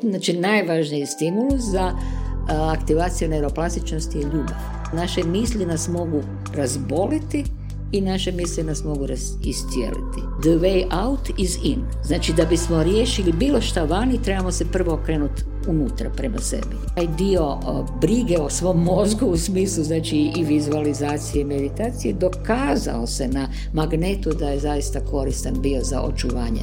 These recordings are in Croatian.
Znači, najvažniji stimulus za aktivaciju neuroplastičnosti je ljubav. Naše misli nas mogu razboliti i naše misli nas mogu iscijeliti. The way out is in. Znači, da bismo riješili bilo šta vani, trebamo se prvo okrenuti unutra prema sebi. Taj dio brige o svom mozgu u smislu, znači, i vizualizacije i meditacije, dokazao se na magnetu da je zaista koristan bio za očuvanje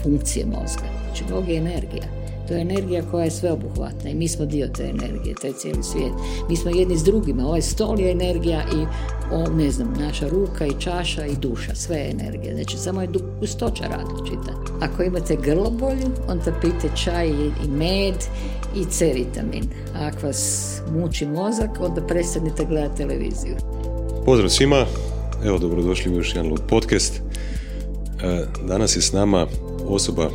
funkcije mozga. Znači, mozg je energija. To je energija koja je sveobuhvatna i mi smo dio te energije, to je cijeli svijet. Mi smo jedni s drugima, ovaj stol je energija i naša ruka i čaša i duša, sve je energija. Znači, samo je gustoća različita. Ako imate grlobolju, onda pijte čaj i med i C vitamin. A ako vas muči mozak, onda prestanite gledati televiziju. Pozdrav svima, evo dobrodošli u još jedan Lud podcast. Danas je s nama osoba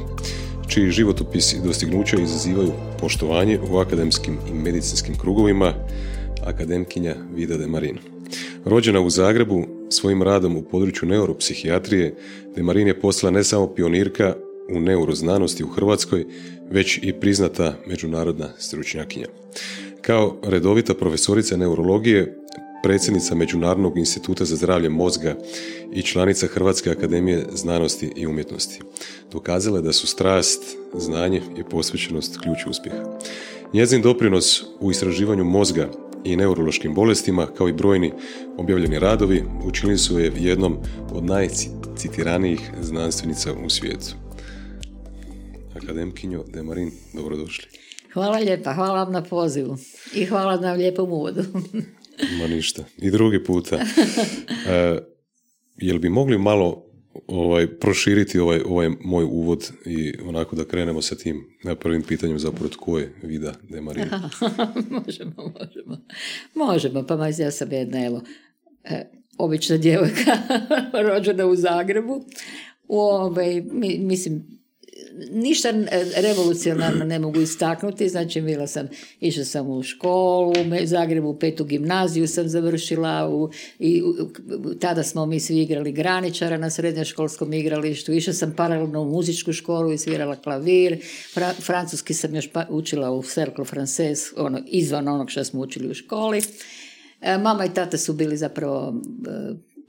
čiji životopis i dostignuća izazivaju poštovanje u akademskim i medicinskim krugovima, akademkinja Vida Demarin. Rođena u Zagrebu, svojim radom u području neuropsihijatrije, Demarin je postala ne samo pionirka u neuroznanosti u Hrvatskoj, već i priznata međunarodna stručnjakinja. Kao redovita profesorica neurologije, predsjednica Međunarodnog instituta za zdravlje mozga i članica Hrvatske akademije znanosti i umjetnosti. Dokazala je da su strast, znanje i posvećenost ključ uspjeha. Njezin doprinos u istraživanju mozga i neurološkim bolestima, kao i brojni objavljeni radovi, učinili su je jednom od najcitiranijih znanstvenica u svijetu. Akademkinjo Demarin, dobrodošli. Hvala lijepa, hvala vam na pozivu i hvala na lijepom uvodu. Ma ništa. I drugi puta. Jel bi mogli malo proširiti ovaj moj uvod i onako da krenemo sa tim prvim pitanjem zapravo tko je Vida Demarin? Možemo, pa ja sam jedna, obična djevojka rođena u Zagrebu. Mislim, ništa revolucionarno ne mogu istaknuti, znači išla sam u školu, u Zagrebu 5. gimnaziju sam završila tada smo mi svi igrali graničara na srednjoškolskom igralištu, išla sam paralelno u muzičku školu i svirala klavir, francuski sam još učila u Cercle Français, izvan onog što smo učili u školi. Mama i tata su bili zapravo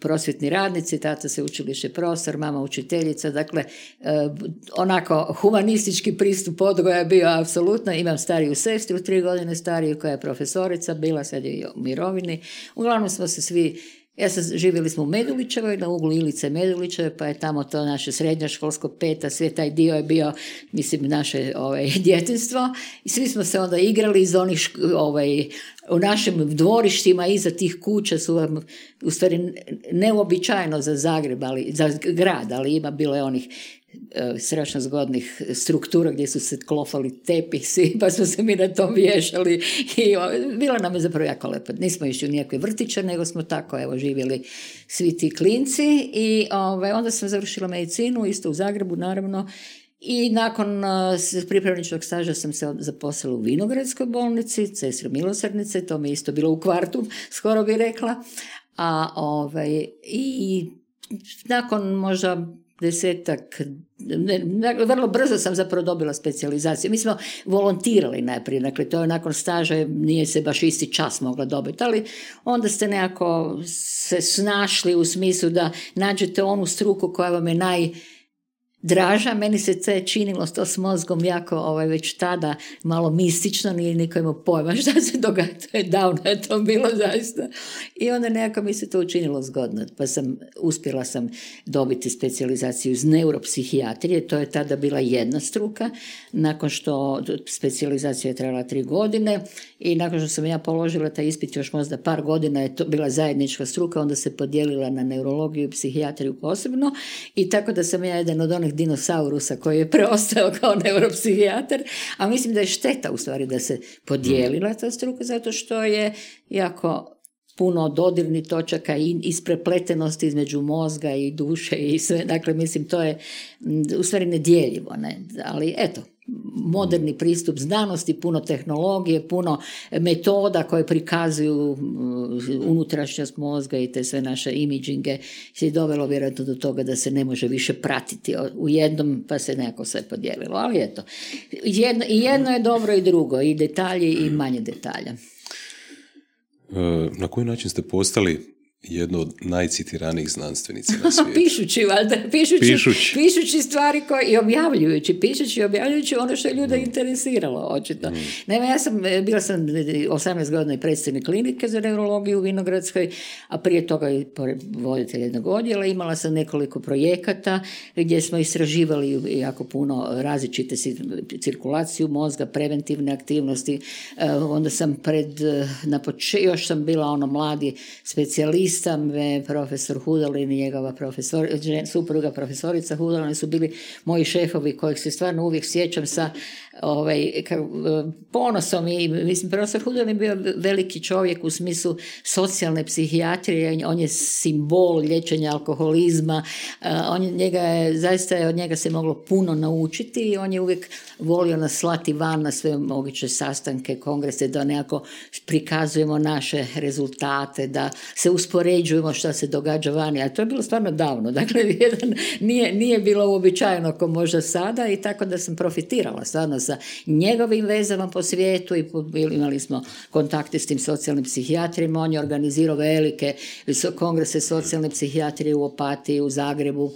prosvjetni radnici, tata se učilište profesor, mama učiteljica, dakle onako humanistički pristup odgoja je bio apsolutno. Imam stariju sestru, 3 godine stariju, koja je profesorica, bila sad je u mirovini. Uglavnom smo se svi, živjeli smo u Medulićevoj, na uglu Ilice Medulićeve, pa je tamo to naše srednjoškolsko peta, sve taj dio je bio, mislim, naše djetinjstvo i svi smo se onda igrali iz onih u našim dvorištima iza tih kuća su u stvari neuobičajeno za Zagreb, za grad, ali bilo je onih strašno zgodnih struktura gdje su se klofali tepisi, pa smo se mi na tom vješali i bilo nam je zapravo jako lepo. Nismo išli u nijakve vrtiće, nego smo tako živjeli svi ti klinci i onda sam završila medicinu, isto u Zagrebu naravno, i nakon pripravničkog staža sam se zaposlila u Vinogradskoj bolnici, Sestre milosrdnice, to mi je isto bilo u kvartu, skoro bi rekla, i nakon možda 10-ak, vrlo brzo sam zapravo dobila specijalizaciju. Mi smo volontirali najprije, dakle to je nakon staža, nije se baš isti čas mogla dobiti, ali onda ste nekako se snašli u smislu da nađete onu struku koja vam je najdraža. Meni se činilo to s mozgom jako već tada malo mistično, nije niko imao pojma šta se događa, to je davno je to bilo zaista. I onda nekako mi se to učinilo zgodno, pa uspjela sam dobiti specijalizaciju iz neuropsihijatrije, to je tada bila jedna struka, nakon što specijalizacija je trajala 3 godine i nakon što sam ja položila taj ispit još možda par godina je to bila zajednička struka, onda se podijelila na neurologiju i psihijatriju posebno i tako da sam ja jedan od onih dinosaurusa koji je preostao kao neuropsihijatar, a mislim da je šteta u stvari da se podijelila ta struka zato što je jako puno dodirnih točaka i isprepletenosti između mozga i duše i sve, dakle mislim to je u stvari nedjeljivo, ne? Ali eto, moderni pristup znanosti, puno tehnologije, puno metoda koje prikazuju unutrašnjost mozga i te sve naše imidžinge se je dovelo vjerojatno do toga da se ne može više pratiti u jednom, pa se nekako sve podijelilo. Ali eto, jedno je dobro i drugo, i detalji i manje detalja. Na koji način ste postali jedno od najcitiranijih znanstvenica na svijetu? Pišući, valjda. Pišući stvari koje, i objavljujući ono što je ljude interesiralo, očito. Naime, bila sam 18 godina i predsjednik klinike za neurologiju u Vinogradskoj, a prije toga i voditelj jednog odjela. Imala sam nekoliko projekata gdje smo istraživali jako puno različite cirkulaciju mozga, preventivne aktivnosti. Onda sam još sam bila mladi specijalist, profesor Hudalin i njegova supruga profesorica Hudalin su bili moji šefovi kojih se stvarno uvijek sjećam sa ponosom i mislim profesor Hudalin bio veliki čovjek u smislu socijalne psihijatrije, on je simbol liječenja alkoholizma, zaista od njega se moglo puno naučiti i on je uvijek volio nas slati van na sve moguće sastanke, kongrese, da nekako prikazujemo naše rezultate, da se uspoređujemo šta se događa vani, a to je bilo stvarno davno, dakle nije bilo uobičajeno kao možda sada i tako da sam profitirala stvarno sa njegovim vezama po svijetu i imali smo kontakte s tim socijalnim psihijatrima, on je organizirao velike kongrese socijalne psihijatrije u Opatiji, u Zagrebu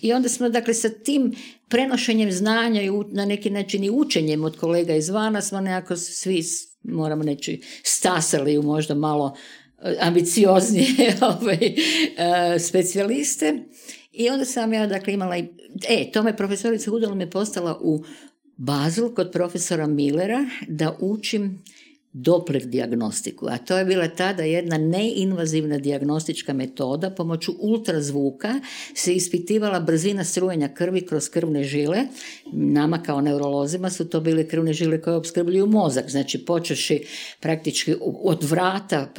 i onda smo dakle sa tim prenošenjem znanja i na neki način i učenjem od kolega izvana smo nekako svi, moramo reći, stasali u možda malo ambicioznije specijaliste i onda sam ja dakle imala tome profesorica Hudalin me postala u Basel kod profesora Millera da učim Doppler dijagnostiku, a to je bila tada jedna neinvazivna dijagnostička metoda. Pomoću ultrazvuka se ispitivala brzina strujenja krvi kroz krvne žile. Nama kao neurolozima su to bile krvne žile koje opskrbljuju mozak, znači počeši praktički od vrata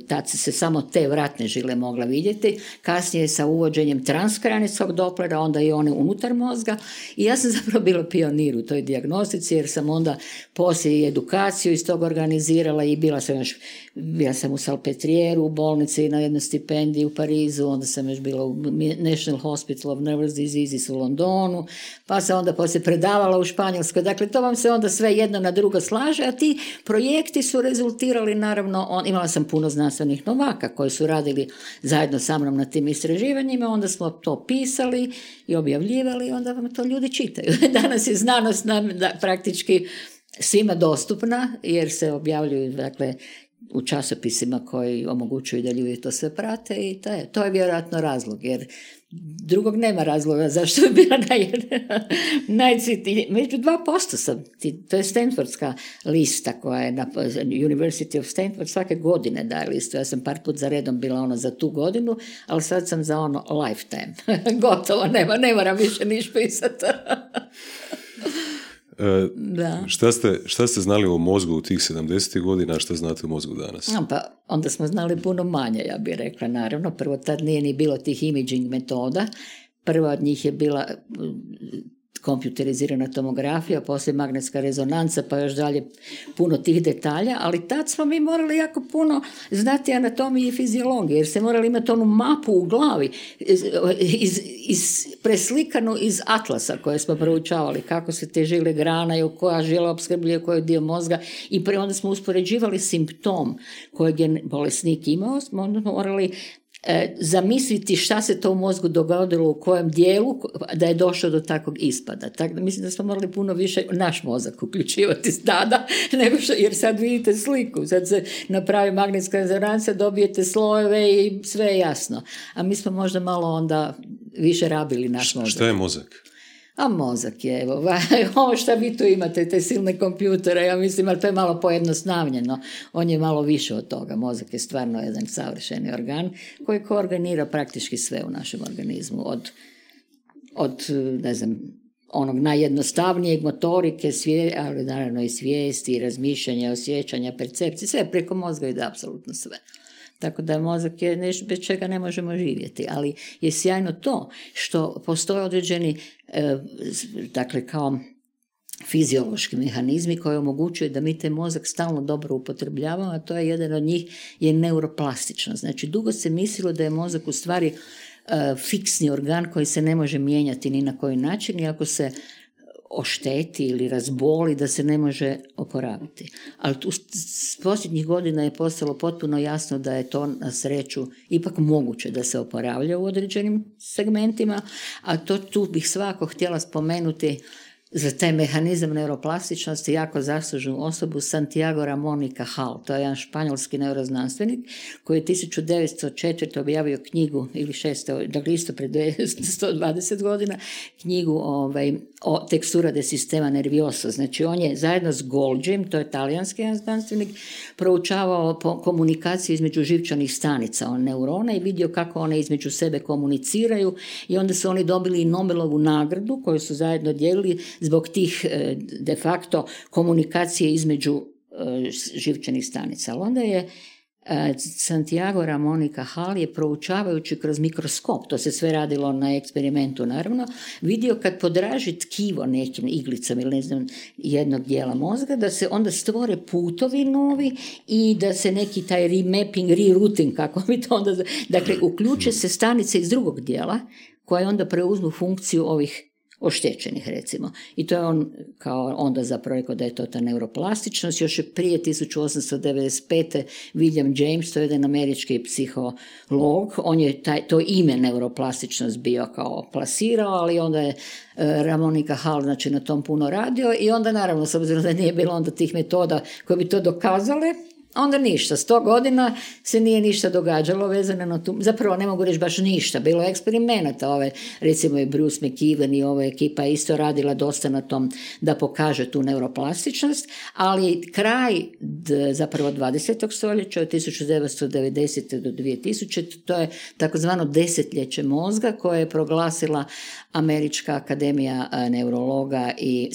tad se samo te vratne žile mogla vidjeti, kasnije sa uvođenjem transkraničkog Dopplera, onda i one unutar mozga i ja sam zapravo bila pionir u toj dijagnostici jer sam onda poslije edukaciju iz toga organizirala i bila sam u Salpetrieru u bolnici na jednoj stipendiji u Parizu, onda sam još bila u National Hospital of Nervous Diseases u Londonu, pa sam onda poslije predavala u Španjolskoj. Dakle, to vam se onda sve jedno na drugo slaže, a ti projekti su rezultirali, naravno, imala sam puno znanstvenih novaka koji su radili zajedno sa mnom na tim istraživanjima, onda smo to pisali i objavljivali i onda vam to ljudi čitaju. Danas je znanost nam praktički svima dostupna jer se objavljuju dakle u časopisima koji omogućuju da ljudi to sve prate i to je vjerojatno razlog jer drugog nema razloga zašto je bila među 2% sam, to je Stanfordska lista koja je na University of Stanford svake godine daje listu, ja sam par put za redom bila za tu godinu, ali sad sam za lifetime, gotovo, ne moram više niš pisati. Šta ste znali o mozgu u tih 70. godina, a šta znate o mozgu danas? Pa onda smo znali puno manje, ja bih rekla, naravno. Prvo tad nije ni bilo tih imaging metoda. Prva od njih je bila kompjuterizirana tomografija, poslije magnetska rezonanca, pa još dalje puno tih detalja, ali tad smo mi morali jako puno znati anatomiju i fiziologiju, jer se morali imati onu mapu u glavi, preslikanu iz atlasa koje smo proučavali, kako se te žile granaju, koja žila opskrbljuje koji dio mozga i onda smo uspoređivali simptom kojeg je bolesnik imao, smo morali zamisliti šta se to u mozgu dogodilo u kojem dijelu da je došlo do takvog ispada. Tako da mislim da smo morali puno više naš mozak uključivati tada, nego što, jer sad vidite sliku, sad se napravi magnetska rezonanca, dobijete slojeve i sve je jasno. A mi smo možda malo onda više rabili naš mozak. Šta je mozak? A mozak je, ovo što vi tu imate, te silne kompjutere, ja mislim, ali to je malo pojednostavljeno. On je malo više od toga. Mozak je stvarno jedan savršeni organ koji koordinira praktički sve u našem organizmu. Od ne znam, onog najjednostavnijeg motorike, ali naravno i svijesti, razmišljanja, osjećanja, percepcije, sve preko mozga ide apsolutno sve. Tako da mozak je nešto bez čega ne možemo živjeti, ali je sjajno to što postoje određeni, dakle kao fiziološki mehanizmi koji omogućuju da mi taj mozak stalno dobro upotrebljavamo, a to je jedan od njih je neuroplastičnost. Znači, dugo se mislilo da je mozak u stvari fiksni organ koji se ne može mijenjati ni na koji način i ako se ošteti ili razboli da se ne može oporaviti. Ali tu s posljednjih godina je postalo potpuno jasno da je to na sreću ipak moguće da se oporavlja u određenim segmentima, a tu bih svakako htjela spomenuti za taj mehanizam neuroplastičnosti jako zaslužnu osobu Santiago Ramón y Cajal. To je jedan španjolski neuroznanstvenik koji je 1904. objavio knjigu, ili 600, dakle isto pred 120 godina, knjigu o tekstura de sistema nervioso. Znači on je zajedno s Golgim, to je talijanski znanstvenik, proučavao komunikaciju između živčanih stanica, neurona, i vidio kako one između sebe komuniciraju, i onda su oni dobili Nobelovu nagradu koju su zajedno dijelili zbog tih de facto komunikacije između živčanih stanica. Ali onda je Santiago Ramón y Cajal je proučavajući kroz mikroskop, to se sve radilo na eksperimentu naravno, vidio kad podraži tkivo nekim iglicom ili ne znam jednog dijela mozga, da se onda stvore putovi novi i da se neki taj remapping, rerouting, kako bi to onda... Dakle, uključe se stanice iz drugog dijela koje onda preuzmu funkciju ovih oštećenih, recimo. I to je on kao onda zapravo rekao da je to ta neuroplastičnost. Još je prije 1895. William James, to je jedan američki psiholog, on je to ime neuroplastičnost bio kao plasirao, ali onda je Ramón y Cajal znači na tom puno radio, i onda naravno, s obzirom da nije bilo onda tih metoda koje bi to dokazale, onda ništa. 100 godina se nije ništa događalo vezano na tu, zapravo ne mogu reći baš ništa, bilo je eksperimenata, recimo i Bruce McKeown i ova ekipa isto radila dosta na tom da pokaže tu neuroplastičnost, ali kraj zapravo 20. stoljeća od 1990. do 2000. to je takozvano desetljeće mozga koje je proglasila Američka akademija neurologa i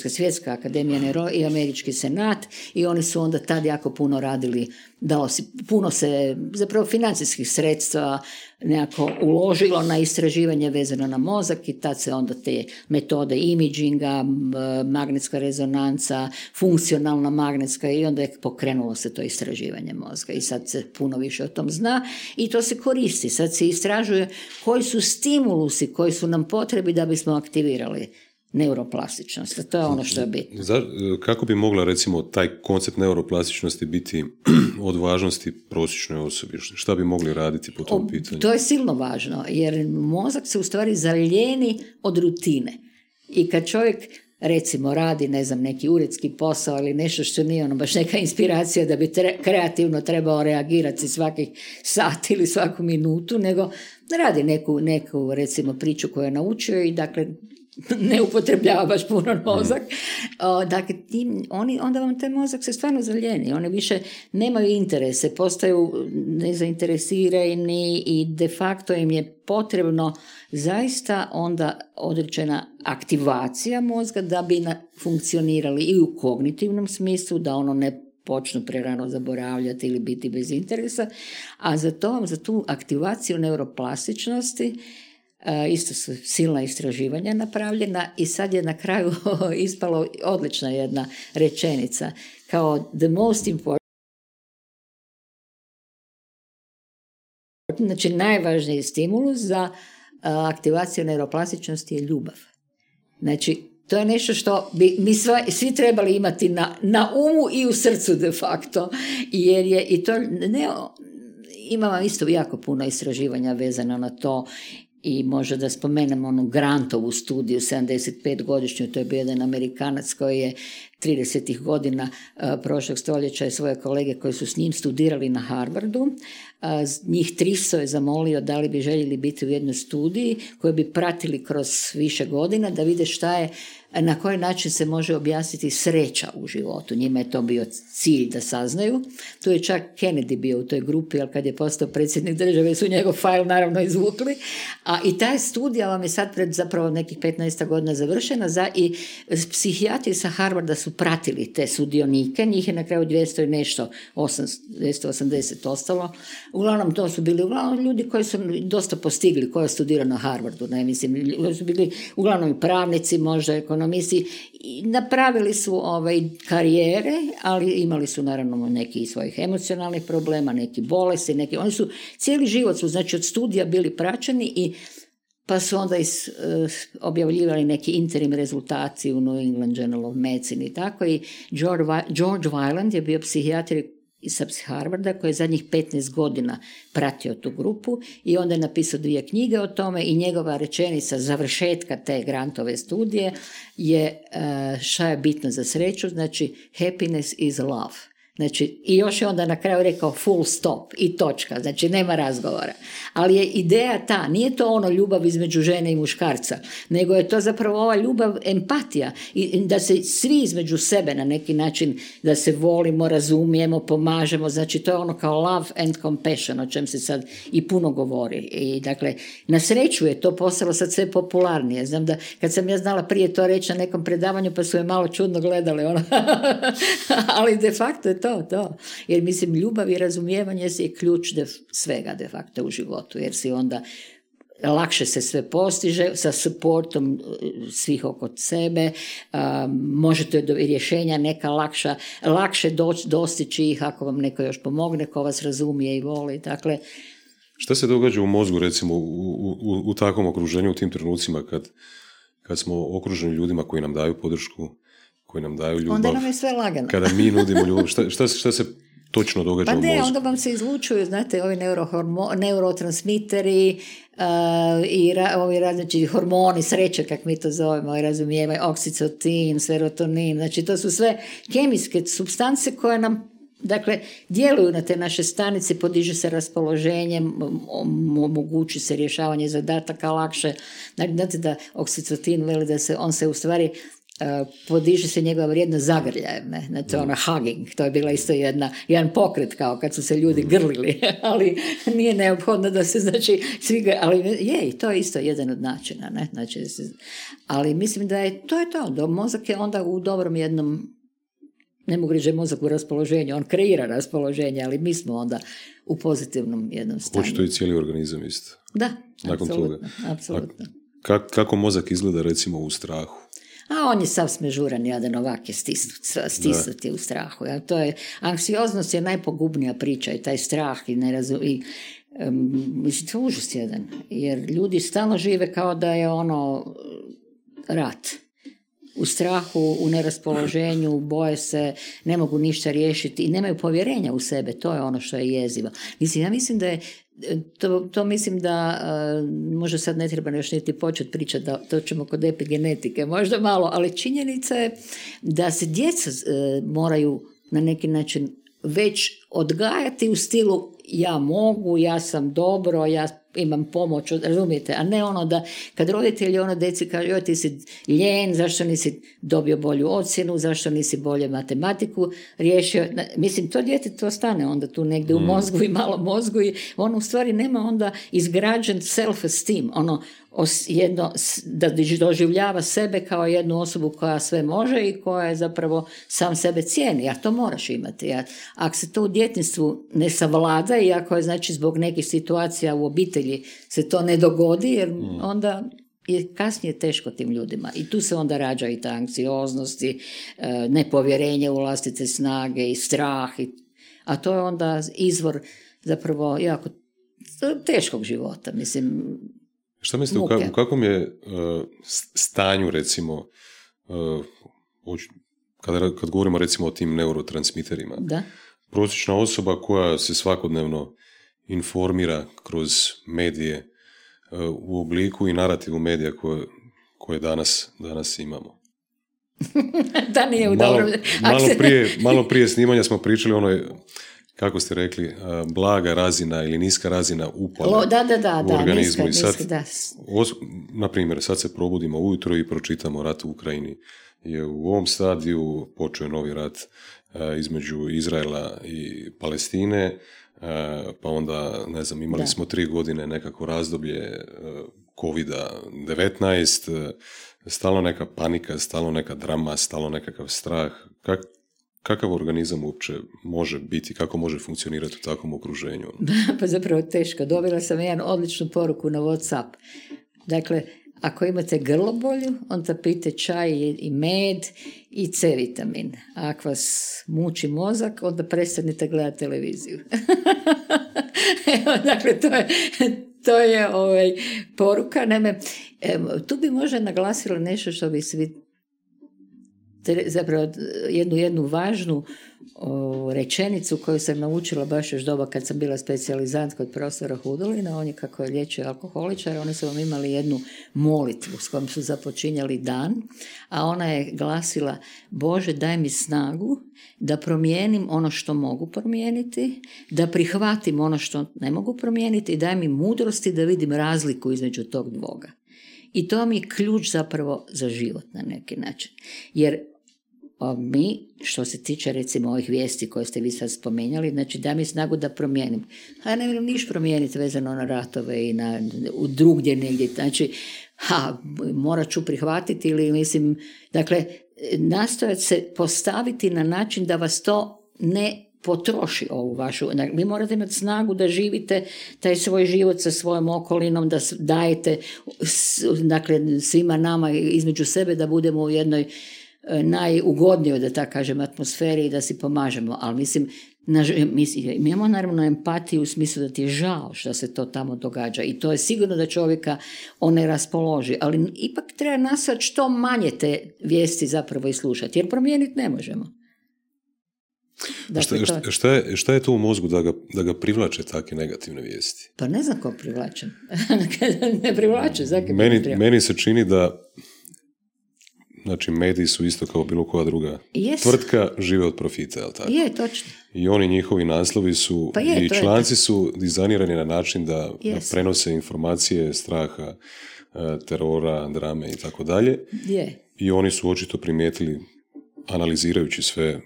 Svjetska akademija neurologa i Američki senat, i oni su onda tad jako puno radili, puno se zapravo financijskih sredstva nekako uložilo na istraživanje vezano na mozak, i tad se onda te metode imaginga, magnetska rezonanca, funkcionalna magnetska, i onda je pokrenulo se to istraživanje mozga i sad se puno više o tom zna i to se koristi. Sad se istražuje koji su stimulusi koji su nam potrebi da bismo aktivirali neuroplastičnost. To je ono što je bitno. Kako bi mogla recimo taj koncept neuroplastičnosti biti od važnosti prosječnoj osobi? Šta bi mogli raditi po tom pitanju? To je silno važno, jer mozak se u stvari zalijeni od rutine. I kad čovjek recimo radi, ne znam, neki uredski posao ili nešto što nije baš neka inspiracija da bi kreativno trebao reagirati svakih sat ili svaku minutu, nego radi neku recimo priču koju je naučio i dakle ne upotrebljava baš puno mozak. Dakle, onda vam taj mozak se stvarno zalijeni. Oni više nemaju interese, postaju nezainteresirani i de facto im je potrebno zaista onda određena aktivacija mozga da bi funkcionirali i u kognitivnom smislu, da ono ne počnu prerano zaboravljati ili biti bez interesa, a za tu aktivaciju neuroplastičnosti isto su silna istraživanja napravljena i sad je na kraju ispalo odlična jedna rečenica kao the most important, znači najvažniji stimulus za aktivaciju neuroplastičnosti je ljubav. Znači to je nešto što bi mi svi trebali imati na umu i u srcu de facto, jer je i to imamo isto jako puno istraživanja vezano na to. I možda da spomenem onu Grantovu studiju, 75-godišnju, to je bio jedan Amerikanac koji je 30. godina prošlog stoljeća i svoje kolege koji su s njim studirali na Harvardu, njih 300 je zamolio da li bi željeli biti u jednoj studiji koju bi pratili kroz više godina da vide šta je, na koji način se može objasniti sreća u životu. Njima je to bio cilj da saznaju. Tu je čak Kennedy bio u toj grupi, ali kad je postao predsjednik države su njegov fajl naravno izvukli. I ta studija vam je sad pred zapravo nekih 15 godina završena i psihijatri sa Harvarda su pratili te sudionike, njih je na kraju 200 i nešto, 280 ostalo. Uglavnom to su bili ljudi koji su dosta postigli, koji je studirao na Harvardu, ne mislim, su bili uglavnom i pravnici, možda ekonomisti, napravili su karijere, ali imali su naravno neki svojih emocionalnih problema, neki bolesti, oni su cijeli život su, znači od studija bili praćeni i pa su onda objavljivali neki interim rezultati u New England Journal of Medicine i tako. I George Weiland je bio psihijatar sa Harvarda koji je zadnjih 15 godina pratio tu grupu i onda je napisao 2 knjige o tome i njegova rečenica završetka te grantove studije je šta je bitno za sreću, znači happiness is love. Znači, i još je onda na kraju rekao full stop i točka, znači nema razgovora. Ali je ideja ta, nije to ono ljubav između žene i muškarca, nego je to zapravo ova ljubav, empatija i da se svi između sebe na neki način, da se volimo, razumijemo, pomažemo, znači to je ono kao love and compassion, o čem se sad i puno govori. I dakle, na sreću je to postalo sad sve popularnije. Znam da kad sam ja znala prije to reći na nekom predavanju, pa su je malo čudno gledali, ali de facto je to. Jer mislim, ljubav i razumijevanje je ključ svega de facto u životu, jer si onda lakše se sve postiže sa supportom svih oko sebe, možete do rješenja neka lakše dostići ih ako vam neko još pomogne, ko vas razumije i voli. Dakle, šta se događa u mozgu recimo u takvom okruženju, u tim trenucima kad smo okruženi ljudima koji nam daju podršku, koji nam daju ljubav? Onda nam je sve lagano. Kada mi nudimo ljubav, šta se točno događa u mozgu? Onda vam se izlučuju, znate, ovi neurotransmiteri i ovi različiti hormoni sreće, kak mi to zovemo, i razumijevaju, oksitotin, serotonin, znači to su sve kemijske supstance koje nam djeluju na te naše stanice, podiže se raspoloženje, omogući se rješavanje zadataka lakše. Znate da oksitotin veli da on se u stvari podiže se njegova vrijednost zagrljajem, ne? Znači hugging, to je bila isto jedan pokret kao kad su se ljudi grlili, ali nije neophodno da se svi ali je, to je isto jedan od načina, ne? Znači, ali mislim da je to, mozak je onda u dobrom jednom, ne mogu reći mozak u raspoloženju, on kreira raspoloženje, ali mi smo onda u pozitivnom jednom stanju. Hoće to i cijeli organizam isto. Da, nakon toga. Apsolutno. Kako mozak izgleda recimo u strahu? A on je sav smežuran, jadan, ovak je stisnut je u strahu. Ja, to je, anksioznost je najpogubnija priča i taj strah i mislim, to je užas jedan. Jer ljudi stalno žive kao da je rat. U strahu, u neraspoloženju, boje se, ne mogu ništa riješiti i nemaju povjerenja u sebe. To je ono što je jezivo. Mislim, ja mislim da je to mislim da možda sad ne treba još niti početi pričati, da to ćemo kod epigenetike možda malo, ali činjenica je da se djeca moraju na neki način već odgajati u stilu ja mogu, ja sam dobro, ja imam pomoć, razumijete, a ne da kad roditelji deci kažu joj ti si ljen, zašto nisi dobio bolju ocjenu, zašto nisi bolje matematiku riješio, mislim to dijete to stane onda tu negdje u mozgu i malo mozgu i u stvari nema onda izgrađen self-esteem, da doživljava sebe kao jednu osobu koja sve može i koja je zapravo sam sebe cijeni, a to moraš imati. Ako se to u djetinjstvu ne savlada i ako je zbog nekih situacija u obitelji se to ne dogodi, jer onda je kasnije teško tim ljudima. I tu se onda rađa i ta anksioznost i nepovjerenje u vlastite snage i strah. A to je onda izvor zapravo jako teškog života. Mislim, šta mislite, u kakvom je stanju, recimo, kad govorimo recimo o tim neurotransmiterima, da? Prosječna osoba koja se svakodnevno informira kroz medije u obliku i narativu medija koje danas imamo. Da nije u dobrom... Malo prije snimanja smo pričali kako ste rekli, blaga razina ili niska razina upala u organizmu. Na primjer, sad se probudimo ujutro i pročitamo rat u Ukrajini. Je u ovom stadiju počeo novi rat između Izraela i Palestine, pa onda, ne znam, imali smo 3 godine nekako razdoblje COVID-19, stalno neka panika, stalno neka drama, stalno nekakav strah. Kakav organizam uopće može biti, kako može funkcionirati u takvom okruženju? Pa zapravo teško. Dobila sam jednu odličnu poruku na WhatsApp. Dakle, Ako imate grlobolju, onda pijte čaj i med i C vitamin. A ako vas muči mozak, onda prestanite gledati televiziju. Evo, dakle, to je poruka. Naime, tu bi možda naglasila nešto što bi svi zapravo jednu važnu rečenicu koju sam naučila baš još doba kad sam bila specijalizant kod profesora Hudolina. On je, kako je liječio alkoholičara, oni su vam imali jednu molitvu s kojom su započinjali dan, a ona je glasila: Bože, daj mi snagu da promijenim ono što mogu promijeniti, da prihvatim ono što ne mogu promijeniti i daj mi mudrosti da vidim razliku između tog dvoga. I to mi je ključ zapravo za život na neki način. Jer mi, što se tiče recimo ovih vijesti koje ste vi sad spomenjali, znači da mi snagu da promijenim. A ja ne vjerujem niš promijeniti vezano na ratove i u drugdje negdje. Znači, morat ću prihvatiti ili mislim, dakle, nastojati se postaviti na način da vas to ne potroši ovu vašu. Vi morate imati snagu da živite taj svoj život sa svojom okolinom, da dajete dakle, svima nama između sebe da budemo u jednoj najugodnijoj, da tako kažem, atmosferi i da si pomažemo. Ali mislim, mi imamo naravno empatiju u smislu da ti je žao što se to tamo događa i to je sigurno da čovjeka on ne raspoloži, ali ipak treba nastojati što manje te vijesti zapravo i slušati, jer promijeniti ne možemo. Dakle, šta je to u mozgu da ga privlače takve negativne vijesti? Pa ne znam ko privlačem. Ne privlače. Meni se čini da znači mediji su isto kao bilo koja druga tvrtka, žive od profita, je li tako? Je, točno. I oni njihovi naslovi su i članci su dizajnirani na način da prenose informacije, straha, terora, drame i tako dalje. I oni su očito primijetili, analizirajući sve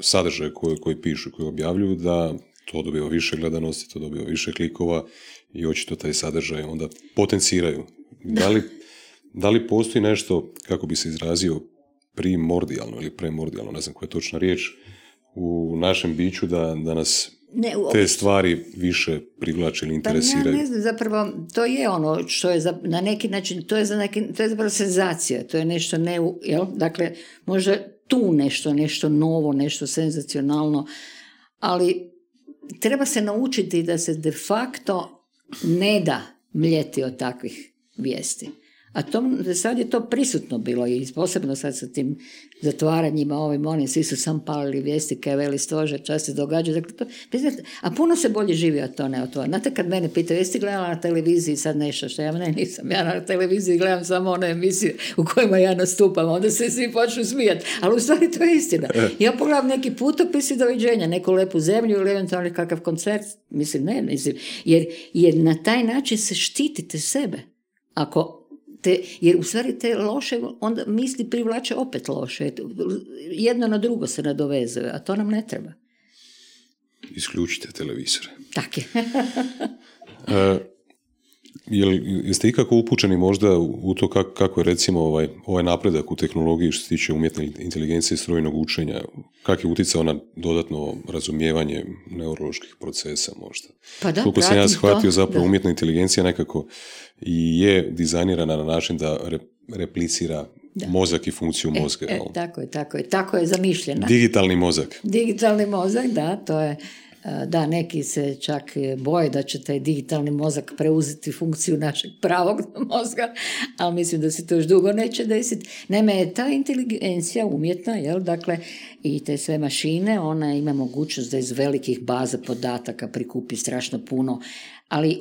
sadržaje koji pišu, koji objavljuju, da to dobiva više gledanosti, to dobiva više klikova i očito taj sadržaj onda potenciraju. Da li postoji nešto, kako bi se izrazio, primordijalno ili premordijalno, ne znam koja je točna riječ, u našem biću da nas te stvari više privlače ili interesiraju? Pa ne znam, zapravo to je ono što je na neki način, to je zapravo senzacija, to je nešto dakle, možda tu nešto novo, nešto senzacionalno, ali treba se naučiti da se de facto ne da mljeti od takvih vijesti. A sad je to prisutno bilo i posebno sad sa tim zatvaranjima onim, svi su sam palili vijesti kaj veli stožer, čas se događa. Dakle, a puno se bolje živi od to ne od to. Znate kad mene pitaju, jesi gledala na televiziji sad nešto što ja nisam, ja na televiziji gledam samo one emisije u kojima ja nastupam, onda se svi počnu smijati, ali u stvari to je istina. Ja pogledam neki putopis i doviđenja, neku lepu zemlju ili eventualno kakav koncert, mislim, jer na taj način se štitite sebe. Jer u stvari te loše onda misli privlače opet loše. Jedno na drugo se nadovezuje, a to nam ne treba. Isključite televizore. Tako je. Jeste ikako upućeni možda u to kako je recimo ovaj napredak u tehnologiji što se tiče umjetne inteligencije i strojnog učenja, kak je utjecao na dodatno razumijevanje neuroloških procesa možda? Pa da, koliko sam ja shvatio zapravo umjetna inteligencija nekako i je dizajnirana na način da replicira mozak i funkciju mozga. Tako je zamišljena. Digitalni mozak, da, to je. Da, neki se čak boje da će taj digitalni mozak preuzeti funkciju našeg pravog mozga, ali mislim da se to još dugo neće desiti. Naime, ta inteligencija umjetna, dakle, i te sve mašine, ona ima mogućnost da iz velikih baza podataka prikupi strašno puno, ali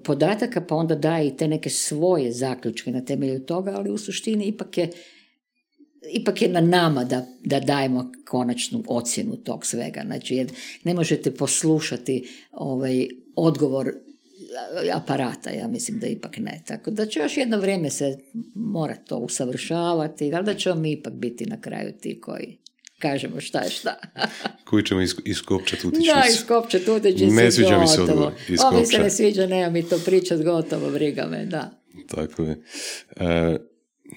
podataka pa onda daje i te neke svoje zaključke na temelju toga, ali u suštini ipak je na nama da dajemo konačnu ocjenu tog svega. Znači, jer ne možete poslušati odgovor aparata, ja mislim da ipak ne. Tako da će još jedno vrijeme se mora to usavršavati, ali da ćemo mi ipak biti na kraju ti koji kažemo šta je šta. Koji ćemo iskopčati utičnicu. Da, iskopčati utičnicu. Ne sviđa mi se odgovor. Ovo mi se ne sviđa, nema mi to pričat, gotovo, briga me, da. Tako je.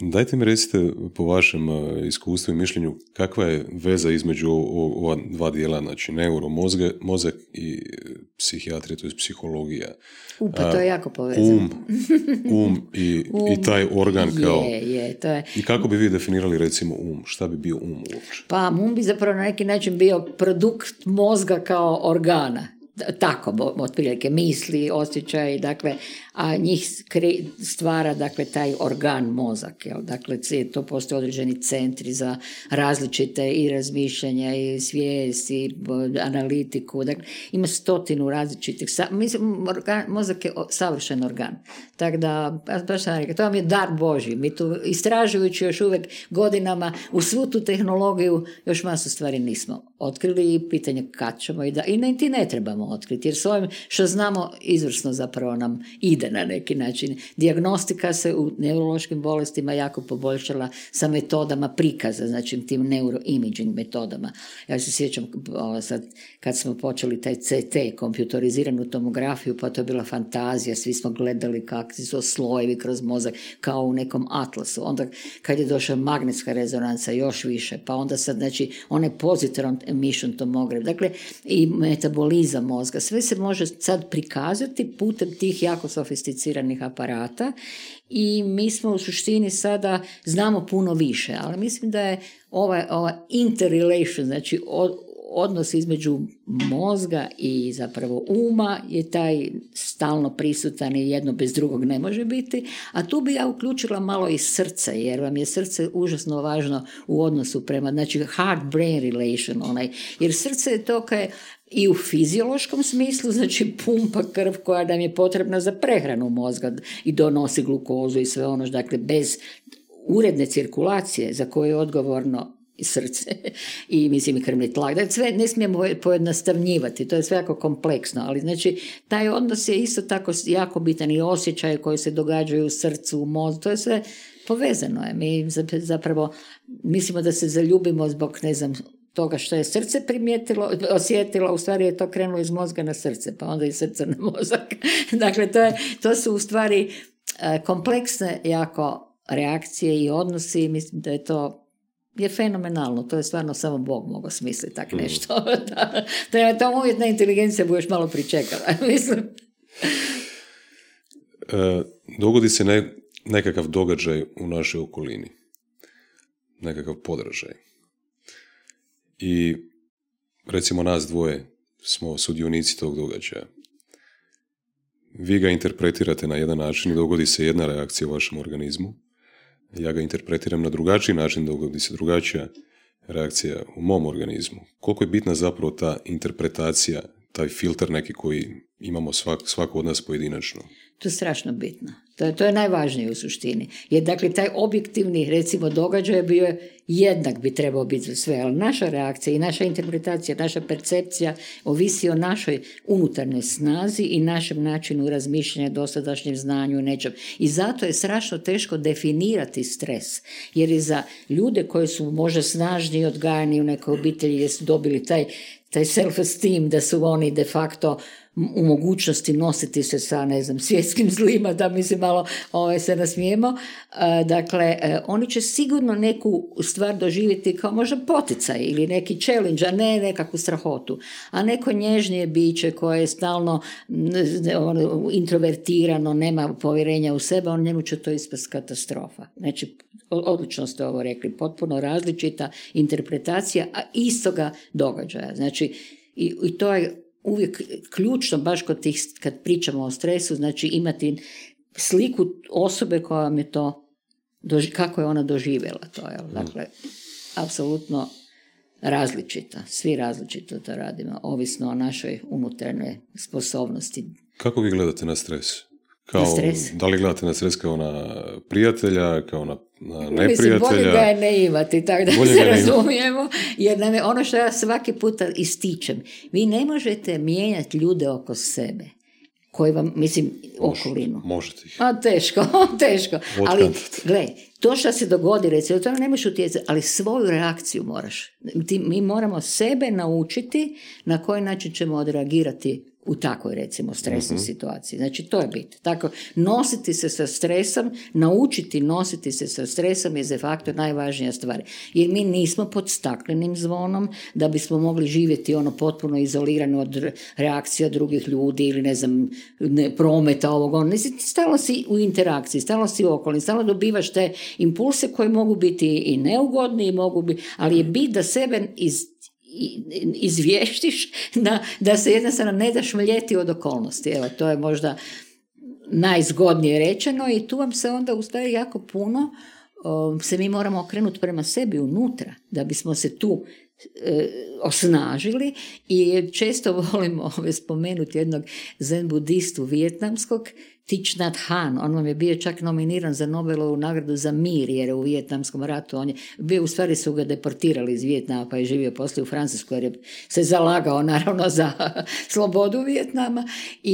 Dajte mi recite po vašem iskustvu i mišljenju kakva je veza između ova dva dijela, znači mozak i psihijatrija, to je psihologija. Pa to je jako povezano. I taj organ kao... To je. I kako bi vi definirali recimo Šta bi bio uopće? Pa bi zapravo na neki način bio produkt mozga kao organa. Tako, otprilike, misli, osjećaj, dakle, a njih stvara, dakle, taj organ mozak, jel? Dakle, to postoje određeni centri za različite i razmišljanja i svijest i analitiku, dakle, ima 100 različitih, mozak je savršen organ, tako da, baš sam rekao, to vam je dar Božji, mi tu istražujući još uvijek godinama u svu tu tehnologiju još masu stvari nismo otkrili i pitanje kad ćemo i ti ne trebamo otkriti, jer s ovim što znamo izvrsno zapravo nam ide na neki način. Dijagnostika se u neurološkim bolestima jako poboljšala sa metodama prikaza, znači tim neuroimaging metodama. Ja se sjećam sad kad smo počeli taj CT, kompjutoriziranu tomografiju, pa to je bila fantazija, svi smo gledali kakvi su slojevi kroz mozak kao u nekom atlasu. Onda kad je došla magnetska rezonanca još više, pa onda sad znači onaj positron emission tomograf, dakle i metabolizam mozga, sve se može sad prikazati putem tih jako sofisticiranih aparata i mi smo u suštini sada znamo puno više, ali mislim da je ova interrelation, znači odnos između mozga i zapravo uma je taj stalno prisutan i jedno bez drugog ne može biti, a tu bi ja uključila malo i srce, jer vam je srce užasno važno u odnosu prema, znači heart-brain relation, jer srce je to kaj i u fiziološkom smislu, znači pumpa krv koja nam je potrebna za prehranu mozga i donosi glukozu i sve ono, dakle bez uredne cirkulacije za koju je odgovorno srce i mislim i krvni tlak. Dakle, sve ne smijemo pojednostavnjivati, to je sve jako kompleksno, ali znači taj odnos je isto tako jako bitan i osjećaje koji se događaju u srcu, u mozgu, to je sve povezano. Mi zapravo mislimo da se zaljubimo zbog, ne znam, toga što je srce osjetilo, u stvari je to krenulo iz mozga na srce, pa onda iz srca na mozak. Dakle, to su u stvari kompleksne jako reakcije i odnosi i mislim da je to je fenomenalno, to je stvarno samo Bog mogao smisliti tak nešto. Da to umjetna inteligencija bi još malo pričekala, mislim. Dogodi se nekakav događaj u našoj okolini, nekakav podražaj. I recimo nas dvoje smo sudionici tog događaja. Vi ga interpretirate na jedan način i dogodi se jedna reakcija u vašem organizmu. Ja ga interpretiram na drugačiji način, dogodi se drugačija reakcija u mom organizmu. Koliko je bitna zapravo ta interpretacija, taj filter neki koji imamo svako od nas pojedinačno? To je strašno bitno. To je najvažnije u suštini. Jer dakle taj objektivni recimo događaj bio jednak bi trebao biti za sve, ali naša reakcija i naša interpretacija, naša percepcija ovisi o našoj unutarnjoj snazi i našem načinu razmišljanja, dosadašnjem znanju i nečem. I zato je strašno teško definirati stres. Jer i za ljude koji su možda snažniji odgajani u nekoj obitelji jer su dobili taj self-esteem da su oni de facto u mogućnosti nositi se sa, ne znam, svjetskim zlima, da mi se malo se nasmijemo. Dakle, oni će sigurno neku stvar doživjeti kao možda poticaj ili neki challenge, a ne nekakvu strahotu. A neko nježnije biće koje je stalno introvertirano, nema povjerenja u sebe, njemu će to ispast katastrofa. Znači, odlično ste ovo rekli, potpuno različita interpretacija, a istoga događaja. Znači, i to je uvijek ključno, baš kad pričamo o stresu, znači imati sliku osobe koja vam je to, kako je ona doživjela to. Dakle, apsolutno različita. Svi različito to radimo, ovisno o našoj unutarnjoj sposobnosti. Kako vi gledate na stres? Da li gledate na stres kao na prijatelja, kao na neprijatelja? Mislim, bolje ga je ne imati, tako da se razumijemo, jer nam je ono što ja svaki puta ističem. Vi ne možete mijenjati ljude oko sebe, koji vam, mislim, okolinu. Možete ih. Teško. Ali, gledaj, to što se dogodi, recimo, to ne možeš utjecati, ali svoju reakciju moraš. Mi moramo sebe naučiti na koji način ćemo odreagirati u takvoj, recimo, stresnoj situaciji. Znači, to je bit. Tako, nositi se sa stresom, naučiti nositi se sa stresom je de facto najvažnija stvar. Jer mi nismo pod staklenim zvonom da bismo mogli živjeti potpuno izolirano od reakcija drugih ljudi ili, prometa ovog. Stalno si u interakciji, stalno si u okolini, stalno dobivaš te impulse koji mogu biti i neugodni, ali je bit da sebe izvještiš da se jednostavno ne daš mljeti od okolnosti. Evo, to je možda najzgodnije rečeno i tu vam se onda ustaje jako puno, se mi moramo okrenuti prema sebi unutra, da bismo se tu osnažili i često volim spomenuti jednog zen budistu vijetnamskog, Thich Nhat Hanh. On vam je bio čak nominiran za Nobelovu nagradu za mir, jer je u Vijetnamskom ratu on je bio, u stvari su ga deportirali iz Vijetnama pa je živio poslije u Francuskoj jer je se zalagao naravno za slobodu Vijetnama,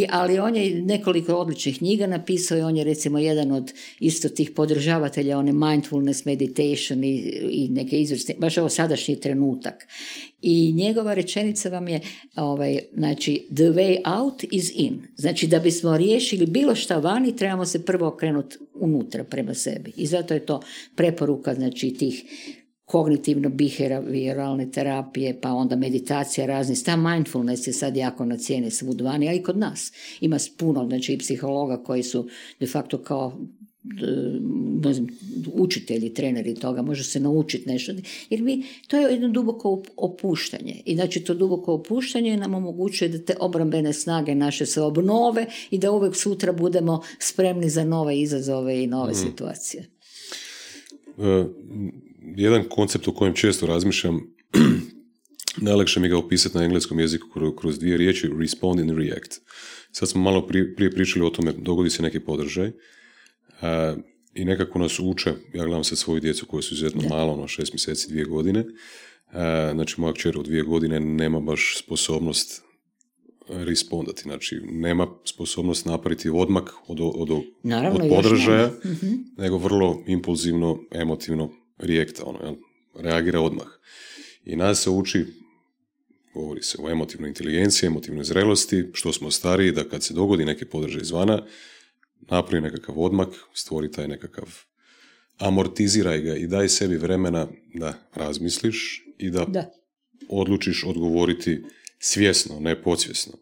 ali on je nekoliko odličnih knjiga napisao i on je recimo jedan od isto tih podržavatelja one mindfulness meditation i neke izvrsne, baš ovo sadašnji trenutak. I njegova rečenica vam je, znači, the way out is in. Znači, da bismo riješili bilo šta vani, trebamo se prvo okrenuti unutra prema sebi. I zato je to preporuka, znači, tih kognitivno-behavioralne terapije, pa onda meditacija raznih. Ta mindfulness je sad jako na cijeni svud vani, a i kod nas. Ima puno, znači, i psihologa koji su de facto kao učitelji, treneri toga, može se naučiti nešto, jer to je jedno duboko opuštanje i znači to duboko opuštanje nam omogućuje da te obrambene snage naše se obnove i da uvijek sutra budemo spremni za nove izazove i nove situacije. Jedan koncept o kojem često razmišljam, najlakše mi ga opisati na engleskom jeziku kroz dvije riječi, respond and react. Sad smo malo prije pričali o tome, dogodi se neki podržaj, i nekako nas uče, ja gledam se svoju djecu koji su izuzetno malo, 6 mjeseci, 2 godine, znači moja kćer od 2 godine nema baš sposobnost respondati, znači nema sposobnost napraviti odmak od podržaja, nego vrlo impulzivno, emotivno reakta, reagira odmah. I nas se uči, govori se o emotivnoj inteligenciji, emotivnoj zrelosti, što smo stariji, da kad se dogodi neki podržaj izvana, napravi nekakav odmak, stvori taj nekakav, amortiziraj ga i daj sebi vremena da razmisliš i da odlučiš odgovoriti svjesno, ne podsvjesno.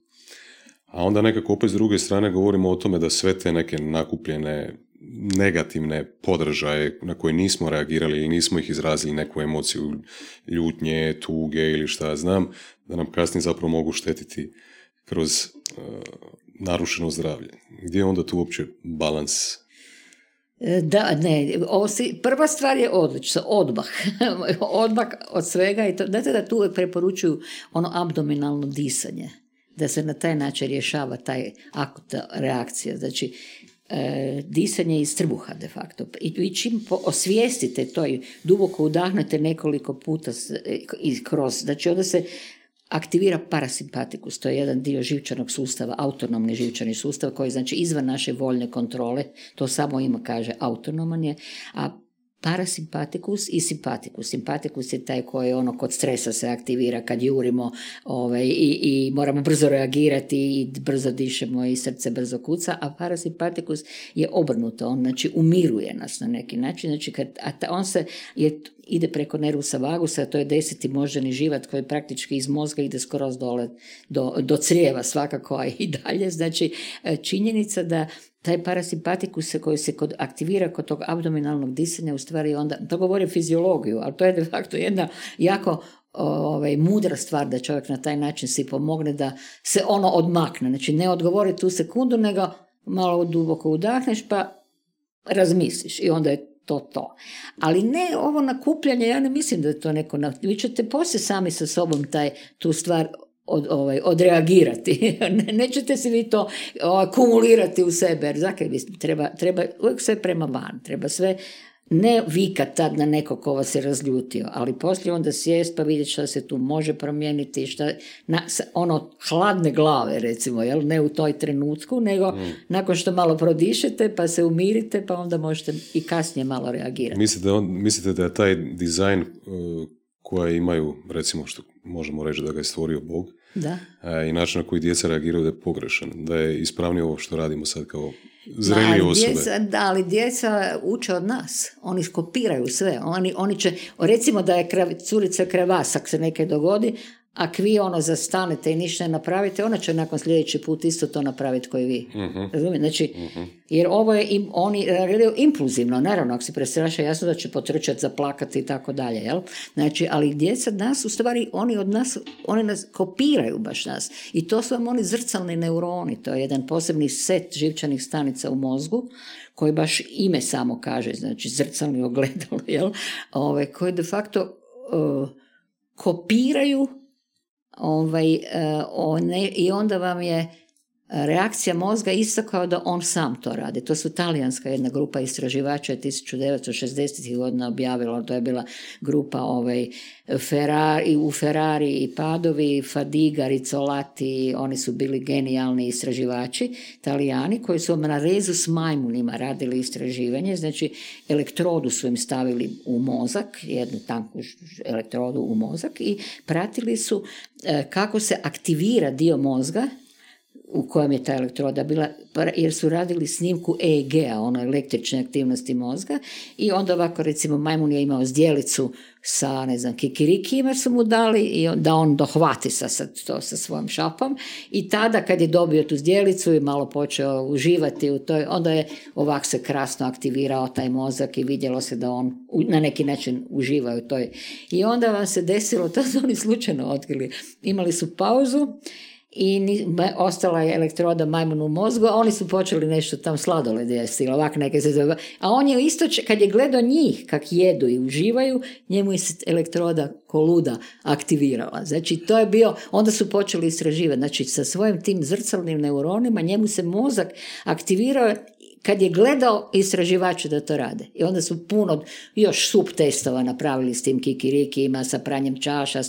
A onda nekako opet s druge strane govorimo o tome da sve te neke nakupljene negativne podržaje na koje nismo reagirali ili nismo ih izrazili neku emociju ljutnje, tuge ili šta znam, da nam kasnije zapravo mogu štetiti kroz narušeno zdravlje. Gdje je onda tu uopće balans? Da, ne, prva stvar je odlično, odmah od svega i to, znate da tu uvijek preporučuju abdominalno disanje, da se na taj način rješava taj akutna reakcija, znači disanje iz trbuha de facto. I čim osvijestite to i duboko udahnete nekoliko puta kroz, znači onda se aktivira parasimpatikus, to je jedan dio živčanog sustava, autonomni živčani sustav koji znači izvan naše voljne kontrole, to samo ima kaže autonoman je, a parasimpatikus i simpatikus. Simpatikus je taj koji kod stresa se aktivira kad jurimo i moramo brzo reagirati i brzo dišemo i srce brzo kuca, a parasimpatikus je obrnuto, on znači umiruje nas na neki način, znači on se ide preko nervusa vagusa, to je 10. moždani živat koji praktički iz mozga ide skroz dole do crijeva svakako, a i dalje, znači činjenica da taj parasimpatikus koji se aktivira kod tog abdominalnog disanja, u stvari onda, to govori fiziologiju, ali to je de facto jedna jako mudra stvar da čovjek na taj način si pomogne da se odmakne. Znači ne odgovori tu sekundu, nego malo duboko udahneš pa razmisliš i onda je to. Ali ne ovo nakupljanje, ja ne mislim da je to neko, vi ćete poslije sami sa sobom tu stvar odreagirati. Nećete si vi to akumulirati u sebe, jer treba uvijek sve prema van, treba sve ne vikat tad na nekog ko vas je razljutio, ali poslije onda sjest pa vidjeti šta se tu može promijeniti, hladne glave recimo, jel? Ne u toj trenutku, nego nakon što malo prodišete pa se umirite pa onda možete i kasnije malo reagirati. Mislite da je taj dizajn koja imaju, recimo što možemo reći da ga je stvorio Bog. Da. I način na koji djeca reagiraju da je pogrešan, da je ispravnije ovo što radimo sad kao zrelije osobe. Ali djeca uče od nas, oni kopiraju sve, oni će, recimo da je curica krevasak se neke dogodi, ako vi zastanete i ništa ne napravite, ona će nakon sljedeći put isto to napraviti koji vi. Razumijete? Znači, jer ovo je, oni reagiraju impulzivno, naravno, ako se prestraše, jasno da će potrčati, zaplakati i tako dalje, jel? Znači, ali djeca nas, u stvari, oni nas kopiraju baš nas. I to su vam oni zrcalni neuroni, to je jedan posebni set živčanih stanica u mozgu, koji baš ime samo kaže, znači zrcalni ogledalo, jel? Koji de facto kopiraju i onda vam je reakcija mozga isto kao da on sam to radi. To su talijanska jedna grupa istraživača 1960. godina objavila, to je bila grupa u Ferrari i Padovi, Fadiga, Rizzolatti, oni su bili genijalni istraživači, Talijani, koji su na rezu s majmunima radili istraživanje, znači elektrodu su im stavili u mozak, jednu tanku elektrodu u mozak i pratili su kako se aktivira dio mozga u kojem je ta elektroda bila, jer su radili snimku EEG-a, električne aktivnosti mozga, i onda ovako, recimo, majmun je imao zdjelicu sa, kikirikijima su mu dali i da on dohvati to sa svojom šapom, i tada kad je dobio tu zdjelicu i malo počeo uživati u toj, onda je ovak se krasno aktivirao taj mozak i vidjelo se da on na neki način uživa u toj. I onda vam se desilo, to su oni slučajno otkrili, imali su pauzu i ostala je elektroda majmunu u mozgu, a oni su počeli nešto tam sladoled jesti, ovak neke se zove. A on je isto, kad je gledao njih kak jedu i uživaju, njemu je elektroda ko luda aktivirala. Znači, to je bio, onda su počeli istraživati, znači sa svojim tim zrcalnim neuronima njemu se mozak aktivirao kad je gledao istraživače da to rade. I onda su puno još subtestova napravili s tim kikirikijima, sa pranjem čaša,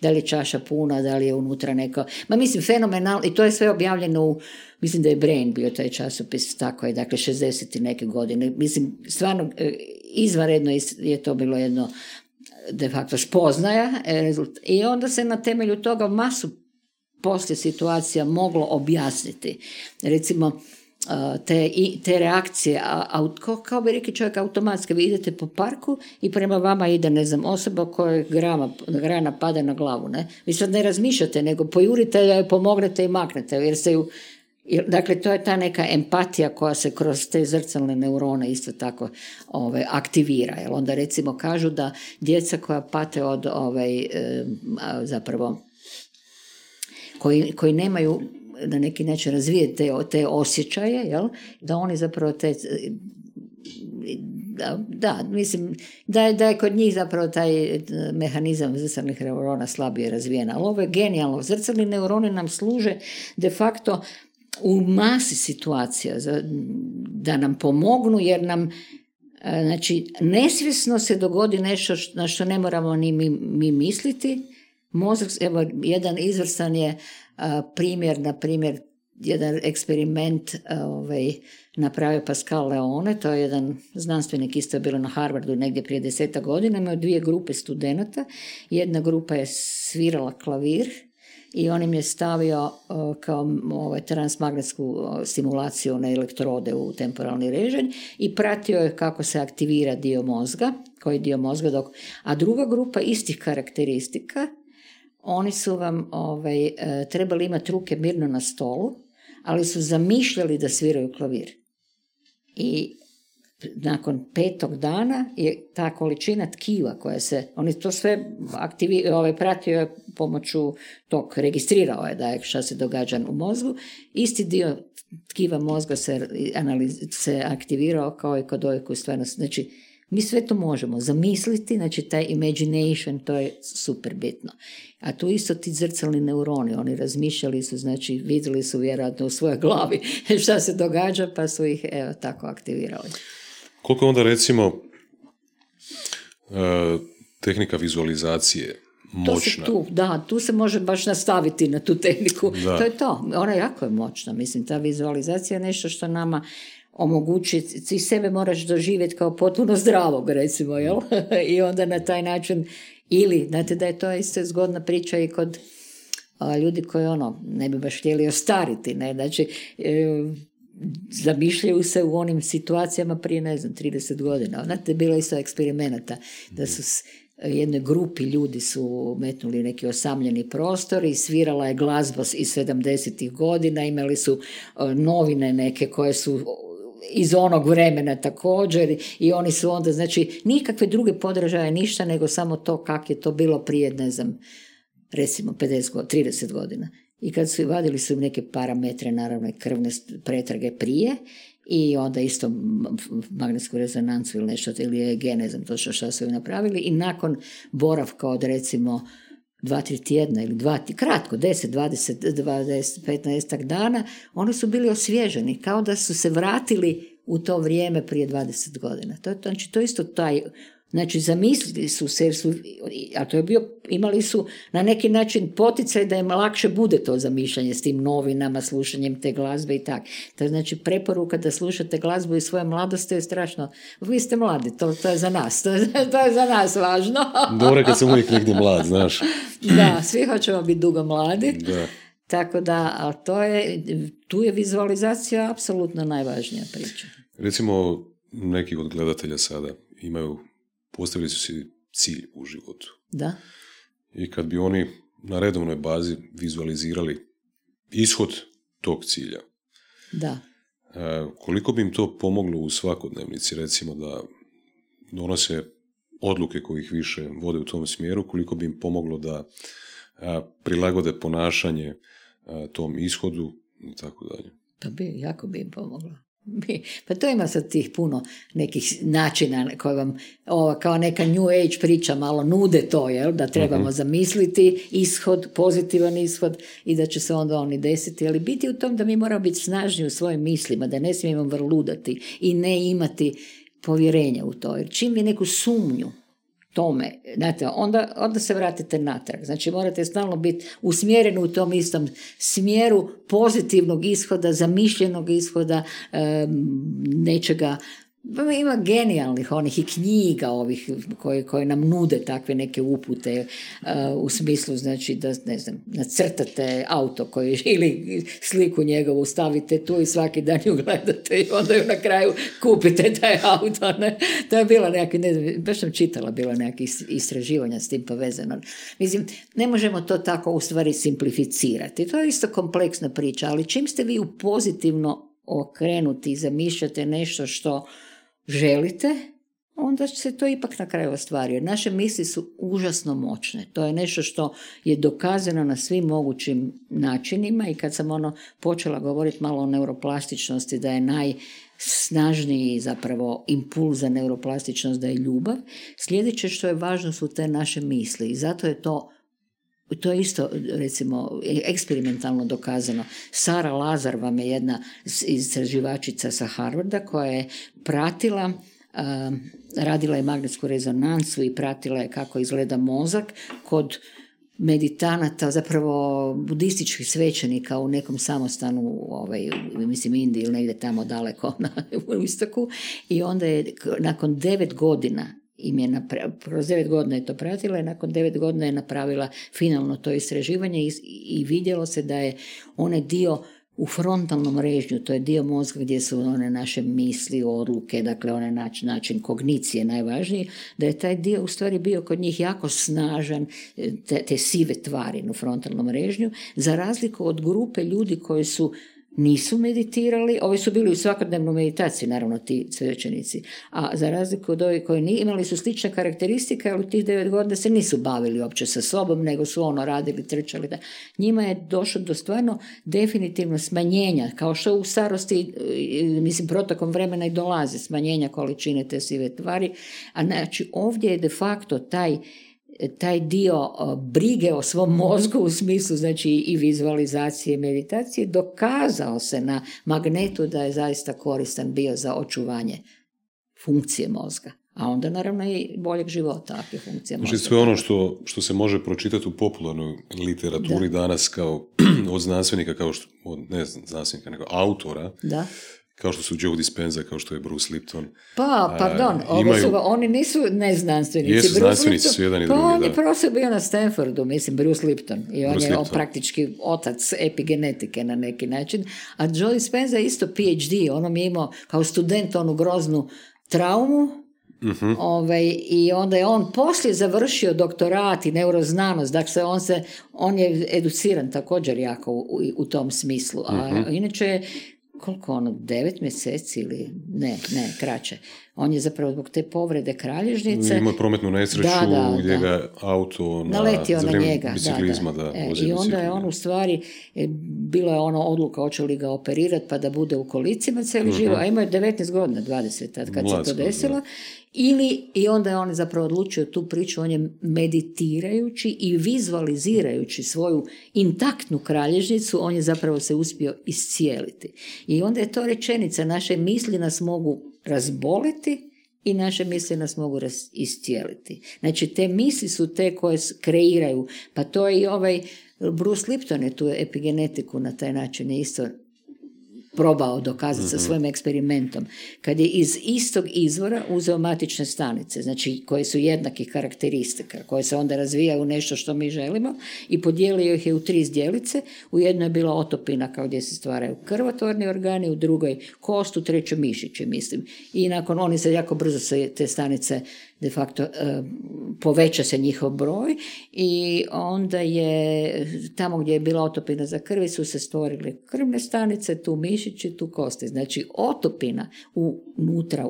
da li je čaša puna, da li je unutra neko. Mislim, fenomenalno. I to je sve objavljeno u, mislim da je Brain bio taj časopis, tako je, dakle, 60 i neke godine. Mislim, stvarno, izvanredno je to bilo jedno, de facto, spoznaja. I onda se na temelju toga masu poslije situacija moglo objasniti. Recimo, te reakcije, kao bi rekli čovjek automatski, vi idete po parku i prema vama ide, osoba koja grana pada na glavu, ne? Vi sad ne razmišljate, nego pojurite, pomognete i maknete, dakle, to je ta neka empatija koja se kroz te zrcalne neurone isto tako aktivira. Jer onda, recimo, kažu da djeca koja pate od zapravo koji nemaju na neki način razvije te osjećaje, jel? Da oni zapravo mislim da je kod njih zapravo taj mehanizam zrcalnih neurona slabije razvijen. Ali ovo je genijalno. Zrcalni neuroni nam služe de facto u masi situacija da nam pomognu, jer nam, znači, nesvjesno se dogodi nešto na što ne moramo ni mi misliti. Mozak, evo, jedan izvrstan je primjer, na primjer, jedan eksperiment napravio Pascal Leone, to je jedan znanstvenik, isto je bilo na Harvardu negdje prije 10 godina, imao 2 grupe studenata, jedna grupa je svirala klavir i on im je stavio kao transmagnetsku stimulaciju na elektrode u temporalni režim i pratio je kako se aktivira dio mozga, koji dio mozga, a druga grupa istih karakteristika, oni su vam trebali imati ruke mirno na stolu, ali su zamišljali da sviraju klavir. I nakon 5. dana je ta količina tkiva koja se, oni to sve pratio je pomoću tog, registrirao je da je šta se događa u mozgu, isti dio tkiva mozga se aktivirao kao i kod ove koji stvarno, znači, mi sve to možemo zamisliti, znači taj imagination, to je super bitno. A tu isto ti zrcalni neuroni, oni razmišljali su, znači vidjeli su vjerojatno u svojoj glavi šta se događa, pa su ih tako aktivirali. Koliko onda, recimo, tehnika vizualizacije moćna? Tu se može baš nastaviti na tu tehniku. Da. To je to, ona jako je moćna, mislim, ta vizualizacija je nešto što nama omogući, ti sebe moraš doživjeti kao potpuno zdravog, recimo, jel? I onda na taj način Ili, znate da je to isto zgodna priča i kod ljudi koji ne bi baš htjeli ostariti, ne, znači zamišljaju se u onim situacijama prije, 30 godina. Znate, bilo je isto eksperimenata, da su jednoj grupi ljudi su metnuli neki osamljeni prostor i svirala je glazba iz 70-ih godina, imali su novine neke koje su iz onog vremena također i oni su onda, znači, nikakve druge podražaje, ništa, nego samo to kako je to bilo prije, recimo 30 godina. I kad su vadili su im neke parametre, naravno i krvne pretrage prije, i onda isto magnetsku rezonancu ili nešto, ili EEG, ne znam točno što su im napravili, i nakon boravka od recimo 2-3 tjedna ili kratko, 10, 20, 15 dana, oni su bili osvježeni, kao da su se vratili u to vrijeme prije 20 godina. Znači, to isto taj, znači, zamislili su se, a to je imali su na neki način poticaj da im lakše bude to zamišljanje s tim novinama, slušanjem te glazbe i tako. To znači, preporuka da slušate glazbu iz svoje mladosti je strašno. Vi ste mladi, to je za nas, to je za nas važno. Dobro kad sam uvijek negdje mlad, znaš. Da, svi hoćemo biti dugo mladi. Da. Tako da, ali tu je vizualizacija apsolutno najvažnija priča. Recimo, neki od gledatelja sada postavili su si cilj u životu. Da. I kad bi oni na redovnoj bazi vizualizirali ishod tog cilja. Da. Koliko bi im to pomoglo u svakodnevnici, recimo da donose odluke koje ih više vode u tom smjeru, koliko bi im pomoglo da prilagode ponašanje tom ishodu i tako dalje. Pa jako bi im pomoglo. Pa to ima sad tih puno nekih načina koje vam kao neka New Age priča malo nude to, jel? Da trebamo zamisliti ishod, pozitivan ishod i da će se onda oni desiti, ali biti u tom da mi moramo biti snažni u svojim mislima, da ne smijemo vrludati i ne imati povjerenja u to, jer čim vi neku sumnju tome, znate, onda se vratite natrag. Znači, morate stalno biti usmjereni u tom istom smjeru pozitivnog ishoda, zamišljenog ishoda, nečega. Ima genijalnih onih i knjiga ovih koje nam nude takve neke upute u smislu, znači, da, ne znam, nacrtate auto ili sliku njegovu stavite tu i svaki dan ju gledate i onda ju na kraju kupite taj auto. Ne? To je bilo nekakve, ne znam, baš sam čitala, bilo nekakve istraživanja s tim povezano. Mislim, ne možemo to tako u stvari simplificirati. To je isto kompleksna priča, ali čim ste vi u pozitivno okrenuti i zamišljate nešto što želite, onda se to ipak na kraju ostvari. Naše misli su užasno moćne. To je nešto što je dokazano na svim mogućim načinima i kad sam počela govoriti malo o neuroplastičnosti, da je najsnažniji zapravo impuls za neuroplastičnost da je ljubav, sljedeće što je važno su te naše misli i zato je to isto, recimo, eksperimentalno dokazano. Sara Lazar vam je jedna istraživačica sa Harvarda koja je pratila, radila je magnetsku rezonancu i pratila je kako izgleda mozak kod meditanata, zapravo budističkih svećenika u nekom samostanu, mislim Indiji ili negdje tamo daleko u istoku, i onda je nakon 9 godina kroz 9 godina je to pratila i nakon 9 godina je napravila finalno to istraživanje i vidjelo se da je onaj dio u frontalnom režnju, to je dio mozga gdje su one naše misli, odluke, dakle onaj način kognicije najvažniji, da je taj dio u stvari bio kod njih jako snažan, te sive tvari u frontalnom režnju, za razliku od grupe ljudi koji nisu meditirali, ovi su bili u svakodnevnoj meditaciji, naravno ti svećenici, a za razliku od ovih koji imali su slične karakteristike, ali u tih 9 godina se nisu bavili uopće sa sobom, nego su radili, trčali. Da. Njima je došlo do stvarno definitivno smanjenja, kao što u starosti, mislim, protokom vremena i dolazi smanjenja količine te sive tvari, a znači ovdje je de facto taj dio brige o svom mozgu u smislu, znači, i vizualizacije i meditacije dokazao se na magnetu da je zaista koristan bio za očuvanje funkcije mozga. A onda naravno i boljeg života, ako je funkcija mozga. Znači sve ono što se može pročitati u popularnoj literaturi danas kao od znanstvenika, kao što, od, ne znanstvenika, nego autora, kao što su Joe Dispenza, kao što je Bruce Lipton. Oni nisu neznanstvenici. Jesu, znanstvenici su jedan i drugi. On je profesor bio na Stanfordu, Bruce Lipton. I on je praktički otac epigenetike na neki način. A Joe Dispenza je isto PhD. On je imao kao student onu groznu traumu. I onda je on poslije završio doktorat i neuroznanost. Dakle, on je educiran također jako u tom smislu. A inače koliko 9 mjeseci ili ne, kraće. On je zapravo zbog te povrede kralježnice... Imao prometnu nesreću gdje ga auto naletio na njega. Biciklizma, I onda je on u stvari, bila je odluka hoće li ga operirati pa da bude u kolicima cijeli život, a imao je 19 godina, 20 tad kad se to desilo. I onda je on zapravo odlučio tu priču, on je meditirajući i vizualizirajući svoju intaktnu kralježnicu, on je zapravo se uspio iscijeliti. I onda je to rečenica, naše misli nas mogu razboliti i naše misli nas mogu iscijeliti. Znači, te misli su te koje kreiraju, pa to je i Bruce Lipton je tu epigenetiku na taj način je isto probao dokazati sa svojim eksperimentom. Kad je iz istog izvora uzeo matične stanice, znači koje su jednakih karakteristika, koje se onda razvijaju u nešto što mi želimo i podijelio ih je u 3 zdjelice. U jednoj je bila otopina kao gdje se stvaraju krvotvorni organi, u drugoj kost, u trećoj mišići, mislim. I nakon oni se jako brzo se te stanice de facto poveća se njihov broj i onda je tamo gdje je bila otopina za krvi su se stvorile krvne stanice, tu mišići, tu kosti. Znači otopina unutra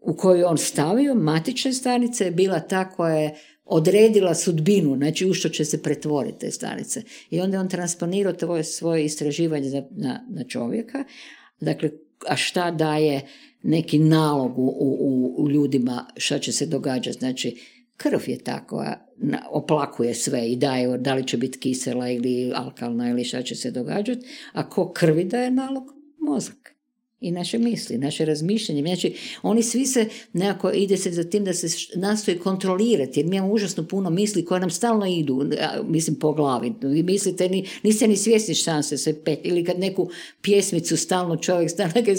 u koju on stavio, matične stanice, je bila ta koja je odredila sudbinu, znači u što će se pretvoriti te stanice. I onda je on transponirao svoje istraživanje na čovjeka. Dakle, a šta daje neki nalog u ljudima šta će se događati. Znači, krv je tako, oplakuje sve i daje, da li će biti kisela ili alkalna ili šta će se događati, a ko krvi daje nalog? Mozak. I naše misli, naše razmišljanje. Znači, oni svi se nekako ide se za tim da se nastoji kontrolirati, jer mi imamo užasno puno misli koje nam stalno idu, mislim, po glavi. Vi mislite, niste ni svjesni šanse se pet, ili kad neku pjesmicu stalno čovjek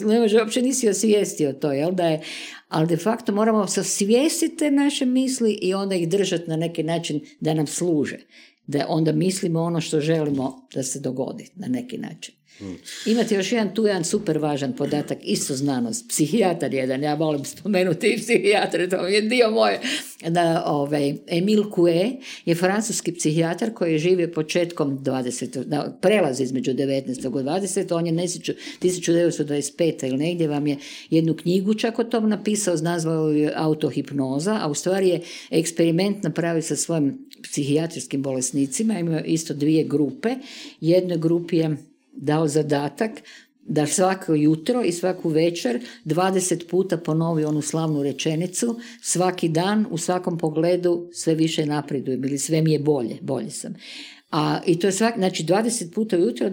ne može, uopće nisi osvijestio to, jel da je, ali de facto moramo osvijestiti te naše misli i onda ih držati na neki način da nam služe, da onda mislimo ono što želimo da se dogodi na neki način. Imate još jedan super važan podatak, isto znanost, psihijatar jedan, ja volim spomenuti i psihijatre, to je dio moje. Emile Coué je francuski psihijatar koji je živio početkom 20. prelaz između 19. i 20. On je 1925. ili negdje vam je jednu knjigu čak o tom napisao, nazvao je Autohipnoza, a u stvari je eksperiment napravio sa svojim psihijatrijskim bolesnicima, imao isto 2 grupe, jednoj grupi je dao zadatak da svako jutro i svaku večer 20 puta ponovi onu slavnu rečenicu, svaki dan u svakom pogledu sve više napredujem ili sve mi je bolje sam. I to je znači 20 puta ujutro,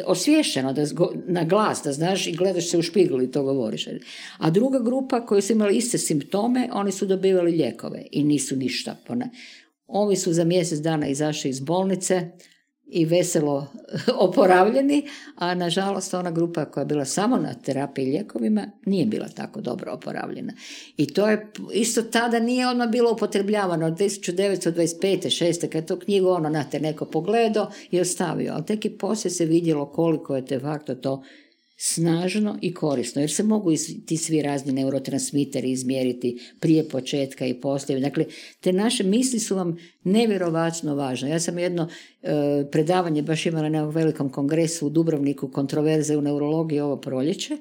osviješćeno na glas, da znaš i gledaš se u špiglu i to govoriš. A druga grupa koji su imali iste simptome, oni su dobivali lijekove i nisu ništa. Ovi su za mjesec dana izašli iz bolnice i veselo oporavljeni, a nažalost ona grupa koja je bila samo na terapiji i lijekovima nije bila tako dobro oporavljena. I to je isto tada nije odmah bilo upotrebljavano od 1925. 6. kad to knjigu neko pogledao i ostavio, ali tek i poslije se vidjelo koliko je de facto to snažno i korisno, jer se mogu ti svi razni neurotransmiteri izmjeriti prije početka i poslije. Dakle, te naše misli su vam nevjerovatno važne. Ja sam jedno predavanje baš imala na velikom kongresu u Dubrovniku, kontroverze u neurologiji ovo proljeće,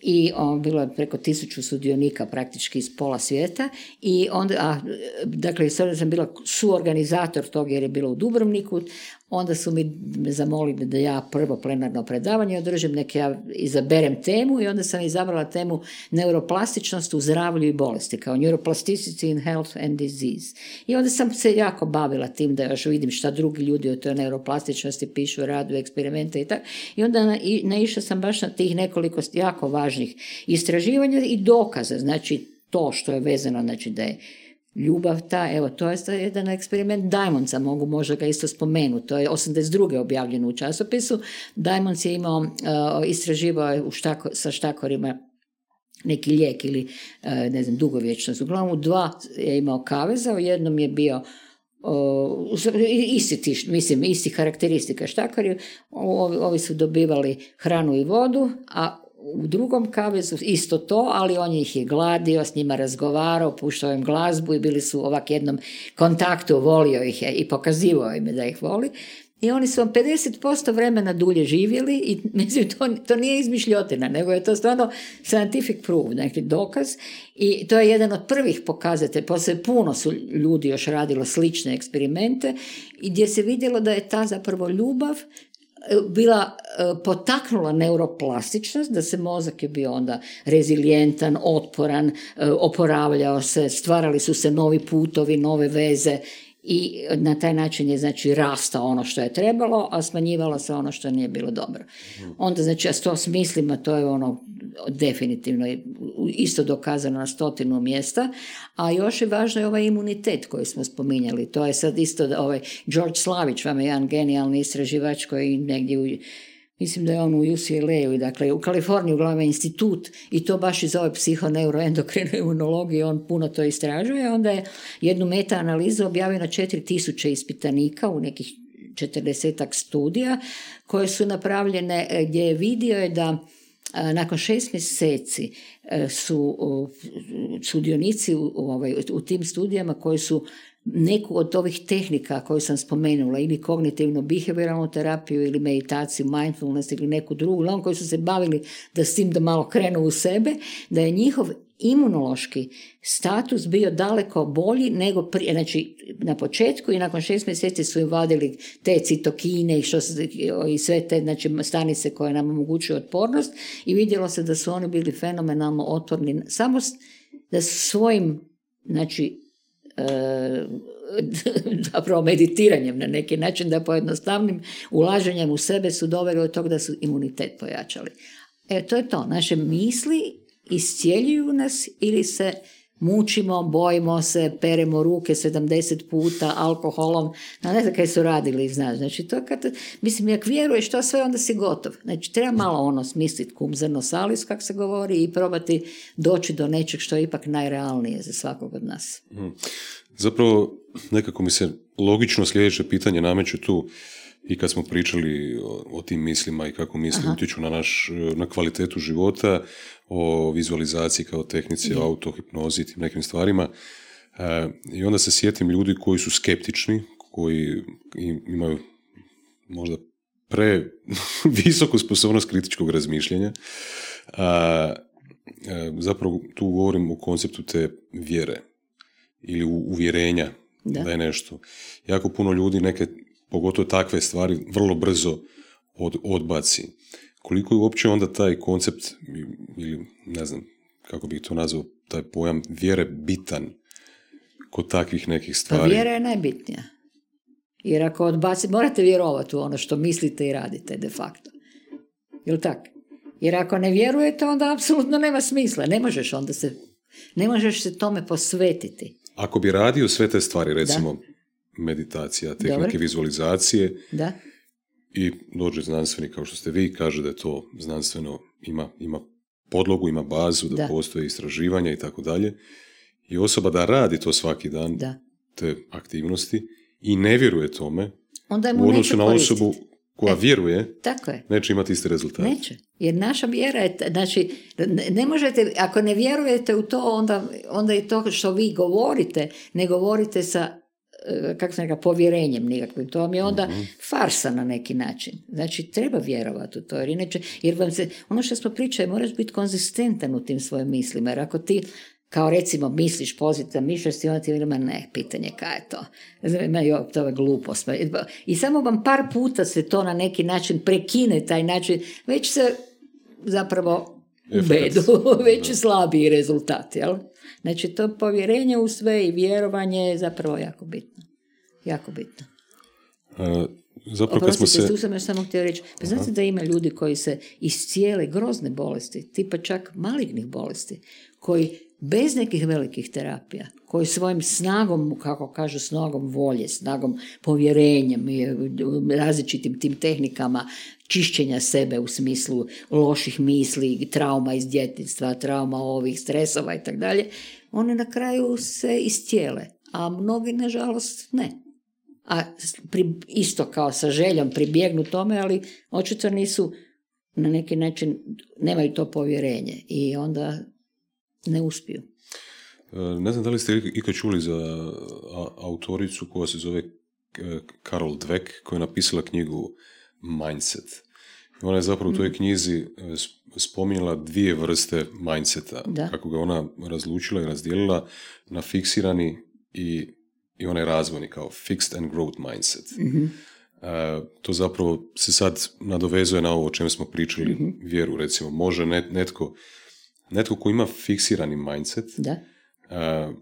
i bilo je preko 1000 sudionika praktički iz pola svijeta i onda, dakle, sada sam bila suorganizator tog jer je bilo u Dubrovniku, onda su me zamolili da ja prvo plenarno predavanje održim, ja izaberem temu i onda sam izabrala temu neuroplastičnost u zdravlju i bolesti, kao neuroplasticity in health and disease. I onda sam se jako bavila tim da još vidim šta drugi ljudi o toj neuroplastičnosti pišu, radu, eksperimente i tako. I onda naišla sam baš na tih nekoliko jako važnih istraživanja i dokaza, znači to što je vezano, znači da je Ljubav ta, evo, to je jedan eksperiment Diamondsa, mogu možda ga isto spomenuti, to je 82. objavljeno u časopisu. Diamonds je imao, istraživao sa štakorima neki lijek ili, ne znam, dugovječnost. Uglavnom, 2 je imao kaveza, u jednom je bio isti karakteristika štakari, ovi su dobivali hranu i vodu, a u drugom kavezu isto to, ali on ih je gladio, s njima razgovarao, puštao im glazbu i bili su ovak jednom kontaktu, volio ih je i pokazivao im da ih voli. I oni su 50% vremena dulje živjeli i mislim, to nije izmišljotina, nego je to stvarno scientific proof, neki dokaz. I to je jedan od prvih pokazatelja, poslije puno su ljudi još radilo slične eksperimente i gdje se vidjelo da je ta zapravo ljubav bila potaknula neuroplastičnost, da se mozak je bio onda rezilijentan, otporan, oporavljao se, stvarali su se novi putovi, nove veze i na taj način je znači rastao ono što je trebalo, a smanjivalo se ono što nije bilo dobro. Onda znači ja s to smislim, a to je ono definitivno isto dokazano na 100 mjesta, a još je važno je ovaj imunitet koji smo spominjali. To je sad isto ovaj George Slavić, vam je jedan genijalni istraživač koji negdje mislim da je on u UCLA-u, dakle u Kaliforniji uglavnom institut i to baš iz ove psihoneuroendokrine imunologije, on puno to istražuje. Onda je jednu meta-analizu objavio na 4000 ispitanika u nekih 40 studija koje su napravljene gdje je vidio da nakon 6 mjeseci su sudionici u tim studijama koji su neku od ovih tehnika koju sam spomenula, ili kognitivno-behavioralnu terapiju, ili meditaciju, mindfulness ili neku drugu, oni koji su se bavili da s tim da malo krenu u sebe, da je njihov imunološki status bio daleko bolji nego prije, znači na početku i nakon 6 mjeseci su im vadili te citokine i sve te znači, stanice koje nam omogućuju otpornost i vidjelo se da su oni bili fenomenalno otporni samo da svojim znači zapravo meditiranjem na neki način, da pojednostavnim ulaženjem u sebe su doveli od toga da su imunitet pojačali. To je to. Naše misli iscijeljuju nas ili se mučimo, bojimo se, peremo ruke 70 puta alkoholom, ne znam kaj su radili, znaš, znači to kad, mislim, jak vjeruješ to sve, onda si gotov. Znači, treba malo smisliti cum zrno salis, kak se govori, i probati doći do nečeg što je ipak najrealnije za svakog od nas. Zapravo, nekako mi se logično sljedeće pitanje nameće tu, i kad smo pričali o tim mislima i kako misli utječu na kvalitetu života, o vizualizaciji kao tehnici, o autohipnozi i tim nekim stvarima. I onda se sjetim ljudi koji su skeptični, koji imaju možda visoku sposobnost kritičkog razmišljanja. Zapravo tu govorim o konceptu te vjere ili uvjerenja da je nešto. Jako puno ljudi neke, pogotovo takve stvari, vrlo brzo odbaci. Koliko je uopće onda taj koncept, ili ne znam kako bih to nazvao, taj pojam vjere bitan kod takvih nekih stvari? Pa vjera je najbitnija. Jer ako odbaci, morate vjerovati u ono što mislite i radite de facto. Jel' tak? Jer ako ne vjerujete, onda apsolutno nema smisla. Ne možeš se tome posvetiti. Ako bi radio sve te stvari, recimo meditacija, tehnike vizualizacije, i dođe znanstvenik kao što ste vi, kaže da je to znanstveno, ima podlogu, ima bazu, da postoje istraživanja i tako dalje, i osoba da radi to svaki dan, te aktivnosti, i ne vjeruje tome, u odnosu na osobu koja vjeruje, neće imati iste rezultate. Neće, jer naša vjera je, znači, ne možete, ako ne vjerujete u to, onda je to što vi govorite, ne govorite sa, kako sam rekao, povjerenjem nikakvim. To vam je onda farsa na neki način. Znači, treba vjerovati u to, jer inače, jer vam se, ono što smo pričali, moraš biti konzistentan u tim svojim mislima, jer ako ti, kao recimo, misliš pozitivno, mišljaš i onda ti ima pitanje kaj je to. To je glupost. I samo vam par puta se to na neki način prekine, taj način, već se zapravo ubedu, već slabiji rezultati, jel? Znači, to povjerenje u sve i vjerovanje je zapravo jako bitno. Jako bitno. Oprostite, tu sam još samo htio reći. Pa znate da ima ljudi koji se iscijele grozne bolesti, tipa čak malignih bolesti, koji bez nekih velikih terapija, koji svojim snagom, kako kažu, snagom volje, snagom povjerenjem i različitim tim tehnikama čišćenja sebe u smislu loših misli, trauma iz djetinjstva, trauma ovih stresova i tako dalje, one na kraju se istijele, a mnogi, nažalost, ne. A isto kao sa željom pribjegnu tome, ali očito nisu na neki način, nemaju to povjerenje i onda ne uspiju. Ne znam da li ste ikad čuli za autoricu koja se zove Carol Dweck, koja je napisala knjigu Mindset. Ona je zapravo u toj knjizi spominjala 2 vrste mindseta, kako ga ona razlučila i razdijelila na fiksirani i onaj razvojni, kao fixed and growth mindset. To zapravo se sad nadovezuje na ovo o čem smo pričali, vjeru, recimo. Može netko ko ima fiksirani mindset,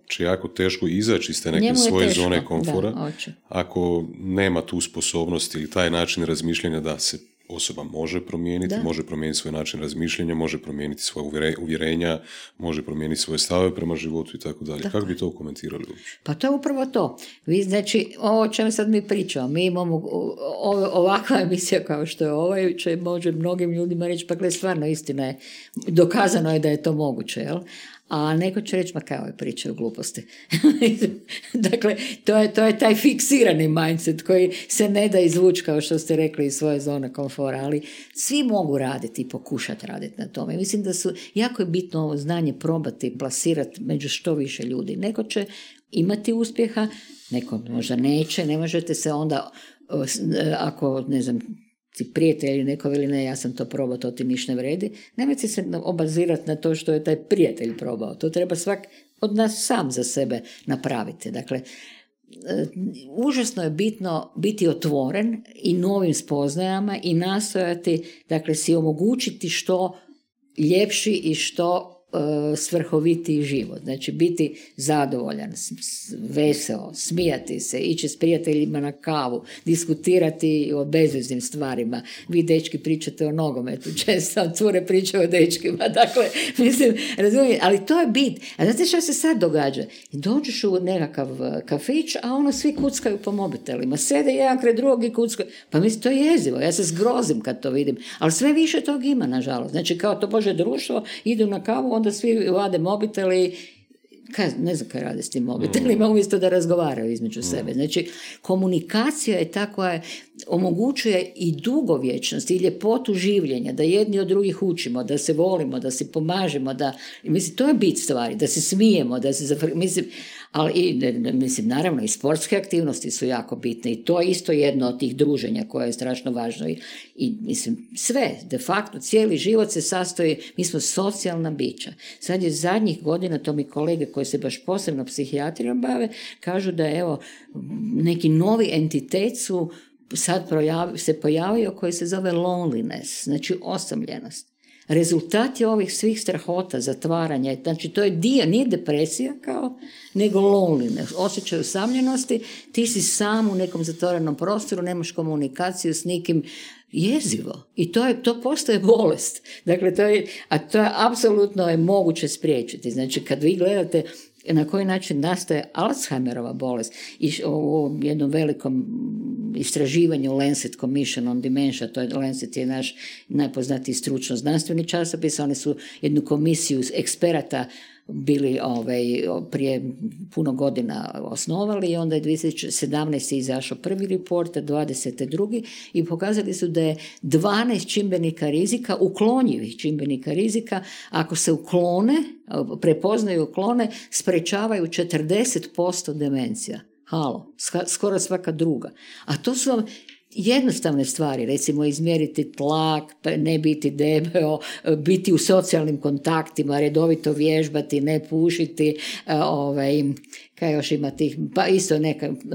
će jako teško izaći iz te neke svoje zone komfora, ako nema tu sposobnost ili taj način razmišljanja da se osoba može promijeniti, može promijeniti svoj način razmišljanja, može promijeniti svoje uvjerenja, može promijeniti svoje stave prema životu i tako dalje. Kako bi to komentirali? Pa to je upravo to. Vi, znači, ovo o čem sad mi pričamo, mi imamo ovakva emisija kao što je ovaj, će može mnogim ljudima reći, pa gle, stvarno istina je, dokazano je da je to moguće, jel? A neko će reći, ma kao je priča o gluposti. Dakle, to je taj fiksirani mindset koji se ne da izvući, kao što ste rekli, iz svoje zone komfora, ali svi mogu raditi i pokušati raditi na tome. Mislim da su jako je bitno ovo znanje probati i plasirati među što više ljudi. Neko će imati uspjeha, neko možda neće, ne možete se onda, ako, ne znam, ti prijatelj neko veli ne, ja sam to probao, to ti ništa ne vredi, nemojte se obazirati na to što je taj prijatelj probao. To treba svak od nas sam za sebe napraviti. Dakle, užasno je bitno biti otvoren i novim spoznajama i nastojati, dakle, si omogućiti što ljepši i što svrhovitiji život. Znači, biti zadovoljan, veseo, smijati se, ići s prijateljima na kavu, diskutirati o bezveznim stvarima. Vi, dečki, pričate o nogometu, često cure pričaju o dečkima. Dakle, mislim, razumijem, ali to je bit. A znate što se sad događa? Dođeš u nekakav kafić, a ono svi kuckaju po mobitelima. Sede jedan kraj drugog i kuckaju. Pa mislim, to je jezivo. Ja se zgrozim kad to vidim. Ali sve više tog ima, nažalost. Znači, kao to Bože društvo, idu na kavu, onda svi vade mobiteli, ne znam kaj rade s tim mobitelima, umjesto da razgovaraju između sebe. Znači, komunikacija je ta koja omogućuje i dugovječnost i ljepotu življenja, da jedni od drugih učimo, da se volimo, da se pomažemo, mislim, to je bit stvari, da se smijemo, da se mislim, ali mislim, naravno i sportske aktivnosti su jako bitne i to je isto jedno od tih druženja koje je strašno važno i mislim, sve, de facto, cijeli život se sastoji, mi smo socijalna bića. Sad je zadnjih godina, to mi kolege koji se baš posebno psihijatrijom bave, kažu da evo, neki novi entitet sad se pojavio koji se zove loneliness, znači osamljenost. Rezultat je ovih svih strahota, zatvaranja, znači to je dio, nije depresija kao, nego loneliness, osjećaj usamljenosti, ti si sam u nekom zatvorenom prostoru, nemaš komunikaciju s nikim, jezivo. I to postaje bolest. Dakle, to je apsolutno je moguće spriječiti. Znači, kad vi gledate na koji način nastaje Alzheimerova bolest i u jednom velikom istraživanju Lancet Commission on Dementia, to je Lancet je naš najpoznatiji stručno znanstveni časopis, oni su jednu komisiju eksperata bili prije puno godina osnovali i onda je 2017. izašao prvi report, a 20. drugi i pokazali su da je 12 čimbenika rizika, uklonjivih čimbenika rizika, ako se uklone, prepoznaju uklone, sprečavaju 40% demencija. Halo, skoro svaka druga. A to su jednostavne stvari, recimo izmjeriti tlak, ne biti debeo, biti u socijalnim kontaktima, redovito vježbati, ne pušiti, kaj još ima tih, pa isto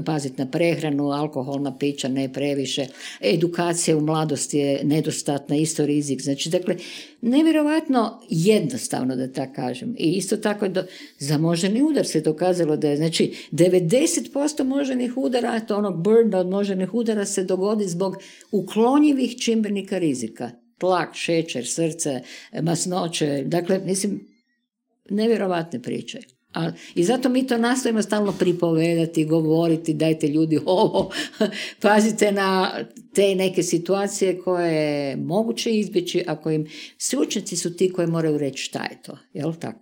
paziti na prehranu, alkoholna pića, ne previše, edukacija u mladosti je nedostatna, isto rizik, znači, dakle, nevjerojatno jednostavno da tako kažem. I isto tako za moždani udar se dokazalo da je, znači, 90% moždanih udara, to onog burna od moždanih udara se dogodi zbog uklonjivih čimbenika rizika. Tlak, šećer, srce, masnoće, dakle, mislim, nevjerovatne priče. I zato mi to nastojimo stalno pripovedati, govoriti, dajte ljudi ovo, pazite na te neke situacije koje je moguće izbjeći, ako im stručnjaci su ti koji moraju reći šta je to, jel tako?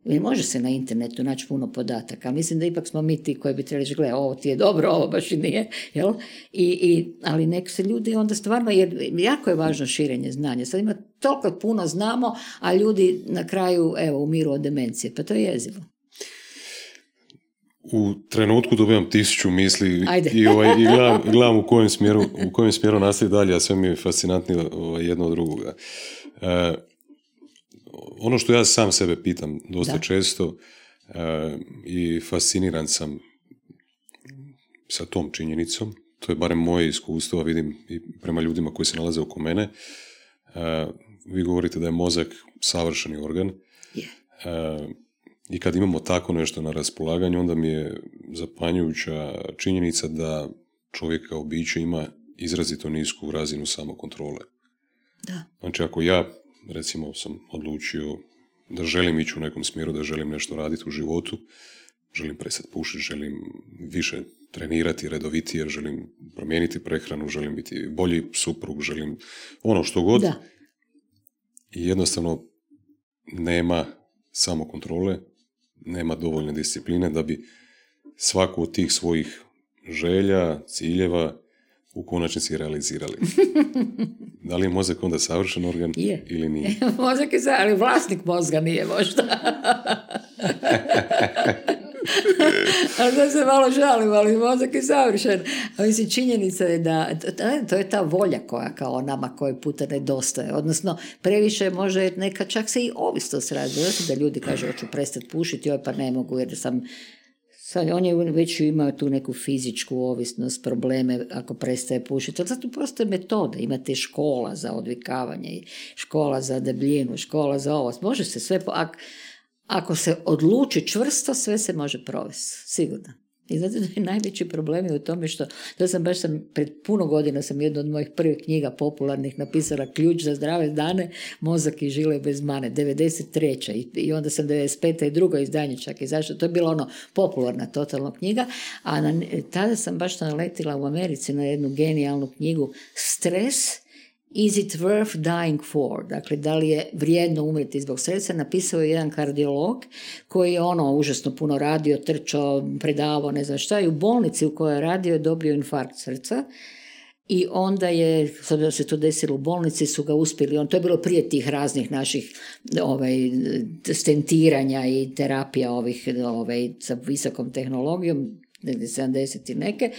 I može se na internetu naći puno podataka, mislim da ipak smo mi ti koji bi trebali reći, gle, ovo ti je dobro, ovo baš i nije, jel? Ali nek se ljudi onda stvarno, jer jako je važno širenje znanja, sad ima toliko puno znamo, a ljudi na kraju, evo, umiru od demencije, pa to je jezivo. U trenutku dobivam 1000 misli i gledam u kojem smjeru nastavi dalje, a sve mi je fascinantnije jedno od drugoga. Ono što ja sam sebe pitam dosta često i fasciniran sam sa tom činjenicom, to je barem moje iskustvo, a vidim i prema ljudima koji se nalaze oko mene. Vi govorite da je mozak savršeni organ. I kad imamo tako nešto na raspolaganju, onda mi je zapanjujuća činjenica da čovjek kao biće ima izrazito nisku razinu samokontrole. Da. Znači, ako ja, recimo, sam odlučio da želim ići u nekom smjeru, da želim nešto raditi u životu, želim prestati pušiti, želim više trenirati, redovitije, želim promijeniti prehranu, želim biti bolji suprug, želim ono što god. Da. I jednostavno nema samokontrole, nema dovoljne discipline da bi svaku od tih svojih želja, ciljeva u konačnici realizirali. Da li je mozak onda savršen organ ili nije? Mozak je ali vlasnik mozga nije možda. Ali da se malo žalim, ali mozak je savršen. A mislim, činjenica je da to je ta volja koja kao nama koji puta nedostaje. Odnosno, previše može neka čak se i ovisnost radi. Da ljudi kažu, hoću prestati pušiti, pa ne mogu jer sam... Sad, on je već imao tu neku fizičku ovisnost, probleme ako prestaje pušiti. Ali zato postoje metode. Imate škola za odvikavanje, škola za debljinu, škola za ovo. Može se sve... Ako se odluči čvrsto, sve se može provesti, sigurno. I zato je najveći problem je u tome što, pred puno godina sam jednu od mojih prvih knjiga popularnih napisala Ključ za zdrave dane, mozak i žile bez mane, 93. I onda sam 95. i drugo izdanje čak izašlo. To je bila ono popularna totalno knjiga, a tada sam baš naletila u Americi na jednu genijalnu knjigu Stres, Is it worth dying for? Dakle, da li je vrijedno umreti zbog stresa? Napisao je jedan kardiolog koji je užasno puno radio, trčao, predavao, ne znam šta, i u bolnici u kojoj je radio je dobio infarkt srca. I onda je, s obzirom da se to desilo u bolnici, su ga uspjeli, to je bilo prije tih raznih naših stentiranja i terapija sa visokom tehnologijom, 70 i neke,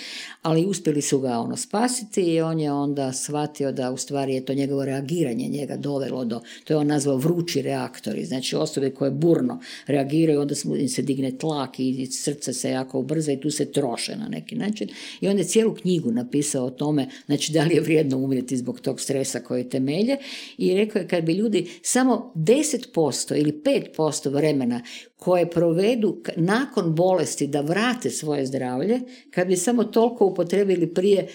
ali uspjeli su ga spasiti i on je onda shvatio da u stvari je to njegovo reagiranje njega dovelo do, to je on nazvao vrući reaktori, znači osobe koje burno reagiraju, onda im se digne tlak i srce se jako ubrza i tu se troše na neki način. I on je cijelu knjigu napisao o tome, znači da li je vrijedno umrijeti zbog tog stresa koji temelje, i rekao je kad bi ljudi samo 10% ili 5% vremena koje provedu nakon bolesti da vrate svoje zdravlje, kad bi samo toliko upotrebili prije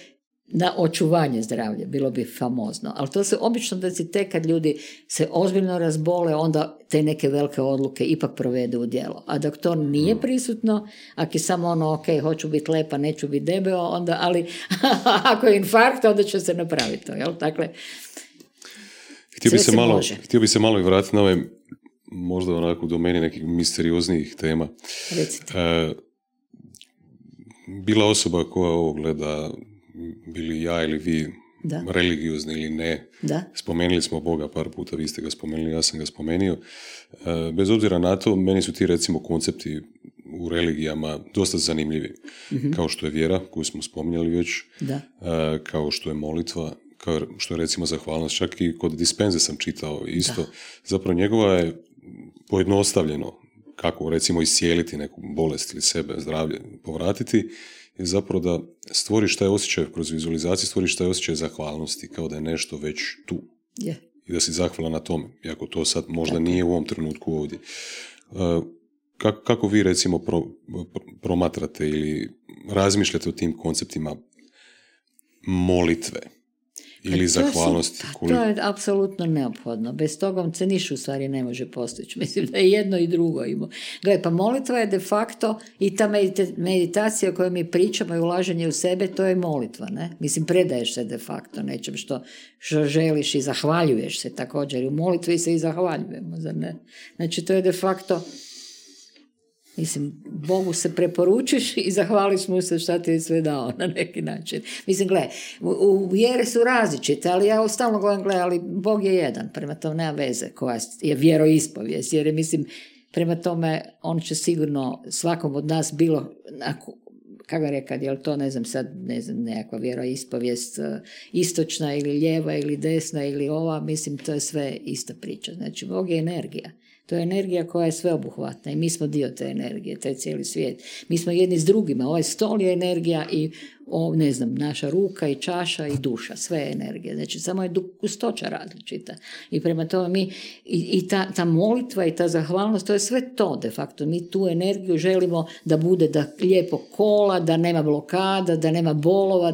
na očuvanje zdravlja, bilo bi famozno. Ali to se obično desi tek kad ljudi se ozbiljno razbole, onda te neke velike odluke ipak provedu u djelo. A dok to nije prisutno, ako je samo ok, hoću biti lepa, neću biti debeo, onda, ali ako je infarkt, onda će se napraviti to, jel? Dakle, htio bi se malo i vratiti na ove možda onako u domeni nekih misterioznijih tema. Bila osoba koja ovo gleda, bili ja ili vi, religiozni ili ne, spomenuli smo Boga par puta, vi ste ga spomenuli, ja sam ga spomenio. Bez obzira na to, meni su ti recimo koncepti u religijama dosta zanimljivi. Mm-hmm. Kao što je vjera, koju smo spominjali već, kao što je molitva, kao što je recimo zahvalnost. Čak i kod dispenze sam čitao isto. Zapravo njegova je pojednostavljeno kako recimo iscijeliti neku bolest ili sebe, zdravlje, povratiti, je zapravo da stvoriš taj osjećaj kroz vizualizaciju, stvoriš taj osjećaj zahvalnosti, kao da je nešto već tu. Yeah. I da si zahvalan na tome, iako to sad možda nije u ovom trenutku ovdje. Kako vi recimo promatrate ili razmišljate o tim konceptima molitve? ili zahvalnosti? To je apsolutno neophodno. Bez toga se ništa u stvari ne može postići. Mislim da je jedno i drugo ima. Gle, pa molitva je de facto i ta meditacija o kojoj mi pričamo i ulaženje u sebe, to je molitva. Ne? Mislim, predaješ se de facto nečem što želiš i zahvaljuješ se također. U molitvi se i zahvaljujemo, zar ne? Znači, to je de facto... Mislim, Bogu se preporučiš i zahvališ mu se šta ti je sve dao na neki način. Mislim, gle, u vjere su različite, ali ja stalno govorim, gle, ali Bog je jedan, prema tome nema veze koja je vjeroispovijest, jer je, mislim, prema tome on će sigurno svakom od nas bilo, kako rekao, je li to, ne znam, nekakva vjeroispovijest istočna ili lijeva ili desna ili ova, mislim, to je sve ista priča. Znači, Bog je energija. To je energija koja je sveobuhvatna i mi smo dio te energije, taj cijeli svijet. Mi smo jedni s drugima. Ovaj stol je energija i, ne znam, naša ruka i čaša i duša. Sve je energija. Znači, samo je gustoća različita. I prema tome mi, i ta molitva i ta zahvalnost, to je sve to de facto. Mi tu energiju želimo da bude da lijepo kola, da nema blokada, da nema bolova,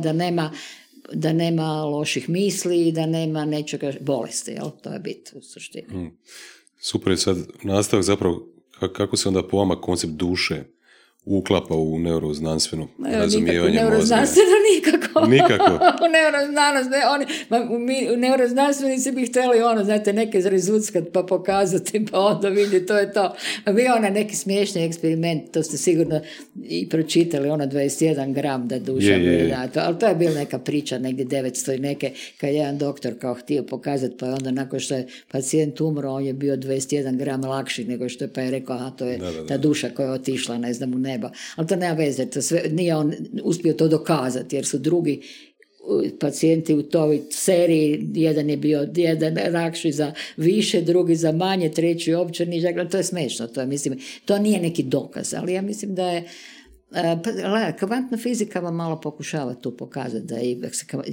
da nema loših misli, da nema nečega bolesti. Jel? To je bit u suštini. Super je sad nastavak zapravo kako se onda po vama koncept duše uklapa u neuroznanstveno razumijevanje mozga. Neuroznanstveno nikako. Nikako. U neuroznanost, u neuroznanstvenici bi htjeli znate, neke zrezuckat pa pokazati, pa onda vidi, to je to. A bio neki smiješni eksperiment, to ste sigurno i pročitali, 21 gram da duša je. Ali to je bila neka priča, negdje 900 i neke, kad je jedan doktor kao htio pokazati, pa je onda nakon što je pacijent umro, on je bio 21 gram lakši nego što je, pa je rekao, aha, to je ta duša koja je otišla, ne znam, u nebo. Ali to nema veze, to sve, nije on uspio to dokazati, jer su drugi pacijenti u toj seriji, jedan je bio lakši za više, drugi za manje, treći uopće nižak, to je smešno, to je, mislim, to nije neki dokaz, ali ja mislim da je kvantna fizika vam malo pokušava tu pokazati da je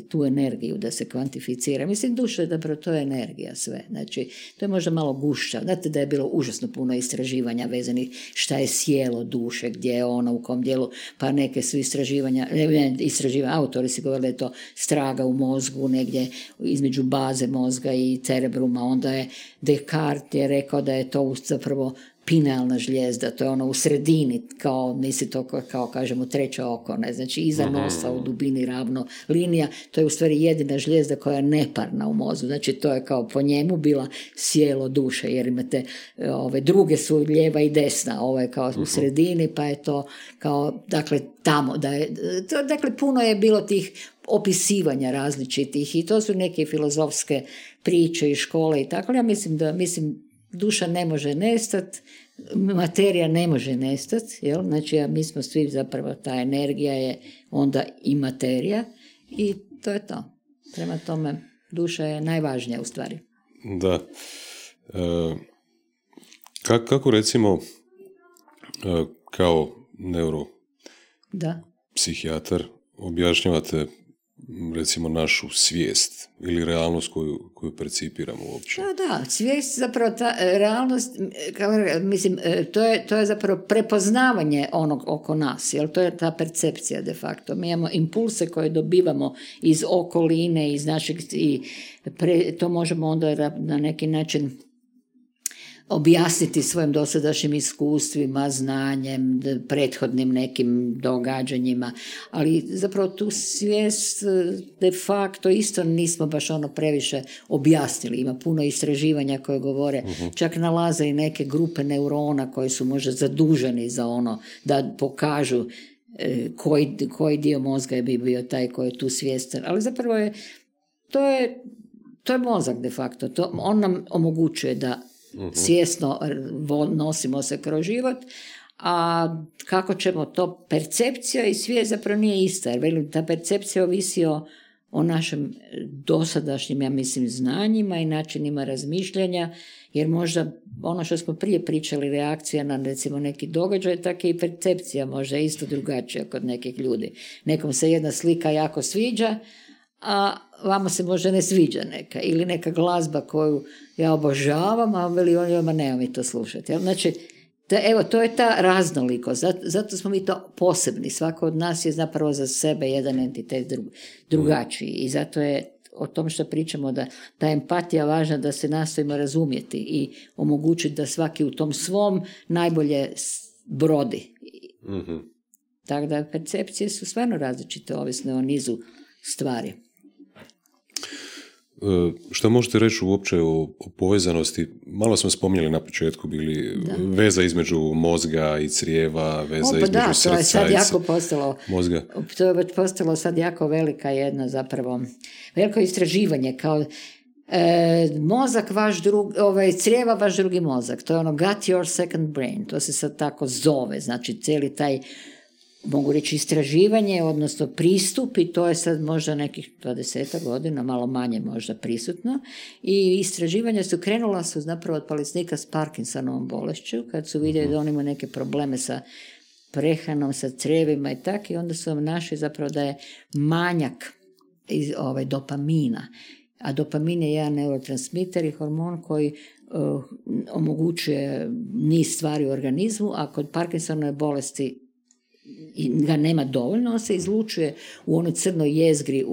tu energiju da se kvantificira. Mislim, duša je zapravo to je energija sve. Znači, to je možda malo gušća. Znate da je bilo užasno puno istraživanja vezanih šta je sjelo duše, gdje je ona, u kom dijelu, pa neke su istraživanja, autori si govorili da je to straga u mozgu, negdje između baze mozga i cerebruma. Onda je Descartes je rekao da je to zapravo pinealna žlijezda, to je ono u sredini, kao, misli to kao kažemo treće oko, ne, znači iza nosa u dubini ravno linija, to je u stvari jedina žlijezda koja je neparna u mozgu, znači to je kao po njemu bila sjelo duše, jer imate ove druge su lijeva i desna, ovo je kao u sredini, pa je to kao, dakle tamo, dakle puno je bilo tih opisivanja različitih i to su neke filozofske priče i škole i tako, ja mislim duša ne može nestati, materija ne može nestati, jel? Znači mi smo svi zapravo, ta energija je onda i materija i to je to. Prema tome, duša je najvažnija u stvari. Da. Kako recimo kao neuropsihijatar objašnjavate recimo našu svijest ili realnost koju percipiramo uopće? Da, svijest zapravo ta realnost, mislim, to je zapravo prepoznavanje onog oko nas, jer to je ta percepcija de facto. Mi imamo impulse koje dobivamo iz okoline, iz našeg, to možemo onda na neki način objasniti svojim dosadašnjim iskustvima, znanjem, prethodnim nekim događanjima, ali zapravo tu svijest de facto isto nismo baš previše objasnili. Ima puno istraživanja koje govore, čak nalaze i neke grupe neurona koji su možda zaduženi za da pokažu koji dio mozga bi bio taj koji je tu svjestan, ali zapravo to je mozak de facto, on nam omogućuje da svjesno nosimo se kroz život, a kako ćemo to, percepcija i svijest zapravo nije ista, jer ta percepcija ovisi o našem dosadašnjim, ja mislim, znanjima i načinima razmišljanja, jer možda ono što smo prije pričali, reakcija na recimo neki događaj, tako i percepcija možda isto drugačija kod nekih ljudi. Nekom se jedna slika jako sviđa, a vama se možda ne sviđa neka, ili neka glazba koju ja obožavam, a veli on, nema mi to slušati. Znači, to je ta raznolikost, zato smo mi to posebni, svako od nas je zapravo za sebe jedan entitet drugačiji i zato je o tom što pričamo, da ta empatija važna, da se nastojimo razumjeti i omogućiti da svaki u tom svom najbolje brodi. Mm-hmm. Tako da percepcije su stvarno različite, ovisne o nizu stvari. Što možete reći uopće o povezanosti? Malo smo spominjali na početku, bili veza između mozga i crijeva, veza između srca to je sad jako mozga. To je postalo sad jako velika jedna zapravo, veliko istraživanje kao mozak vaš crijeva vaš drugi mozak. To je ono got your second brain. To se sad tako zove. Znači cijeli taj, mogu reći, istraživanje, odnosno pristup, i to je sad možda nekih 20 godina, malo manje možda prisutno, i istraživanja krenula su zapravo od bolesnika s Parkinsonovom bolešću, kad su vidjeli da on ima neke probleme sa prehranom, sa crijevima i tako, i onda su vam našli zapravo da je manjak dopamina. A dopamin je jedan neurotransmiter i hormon koji omogućuje niz stvari u organizmu, a kod Parkinsonove bolesti ga nema dovoljno, on se izlučuje u onoj crnoj jezgri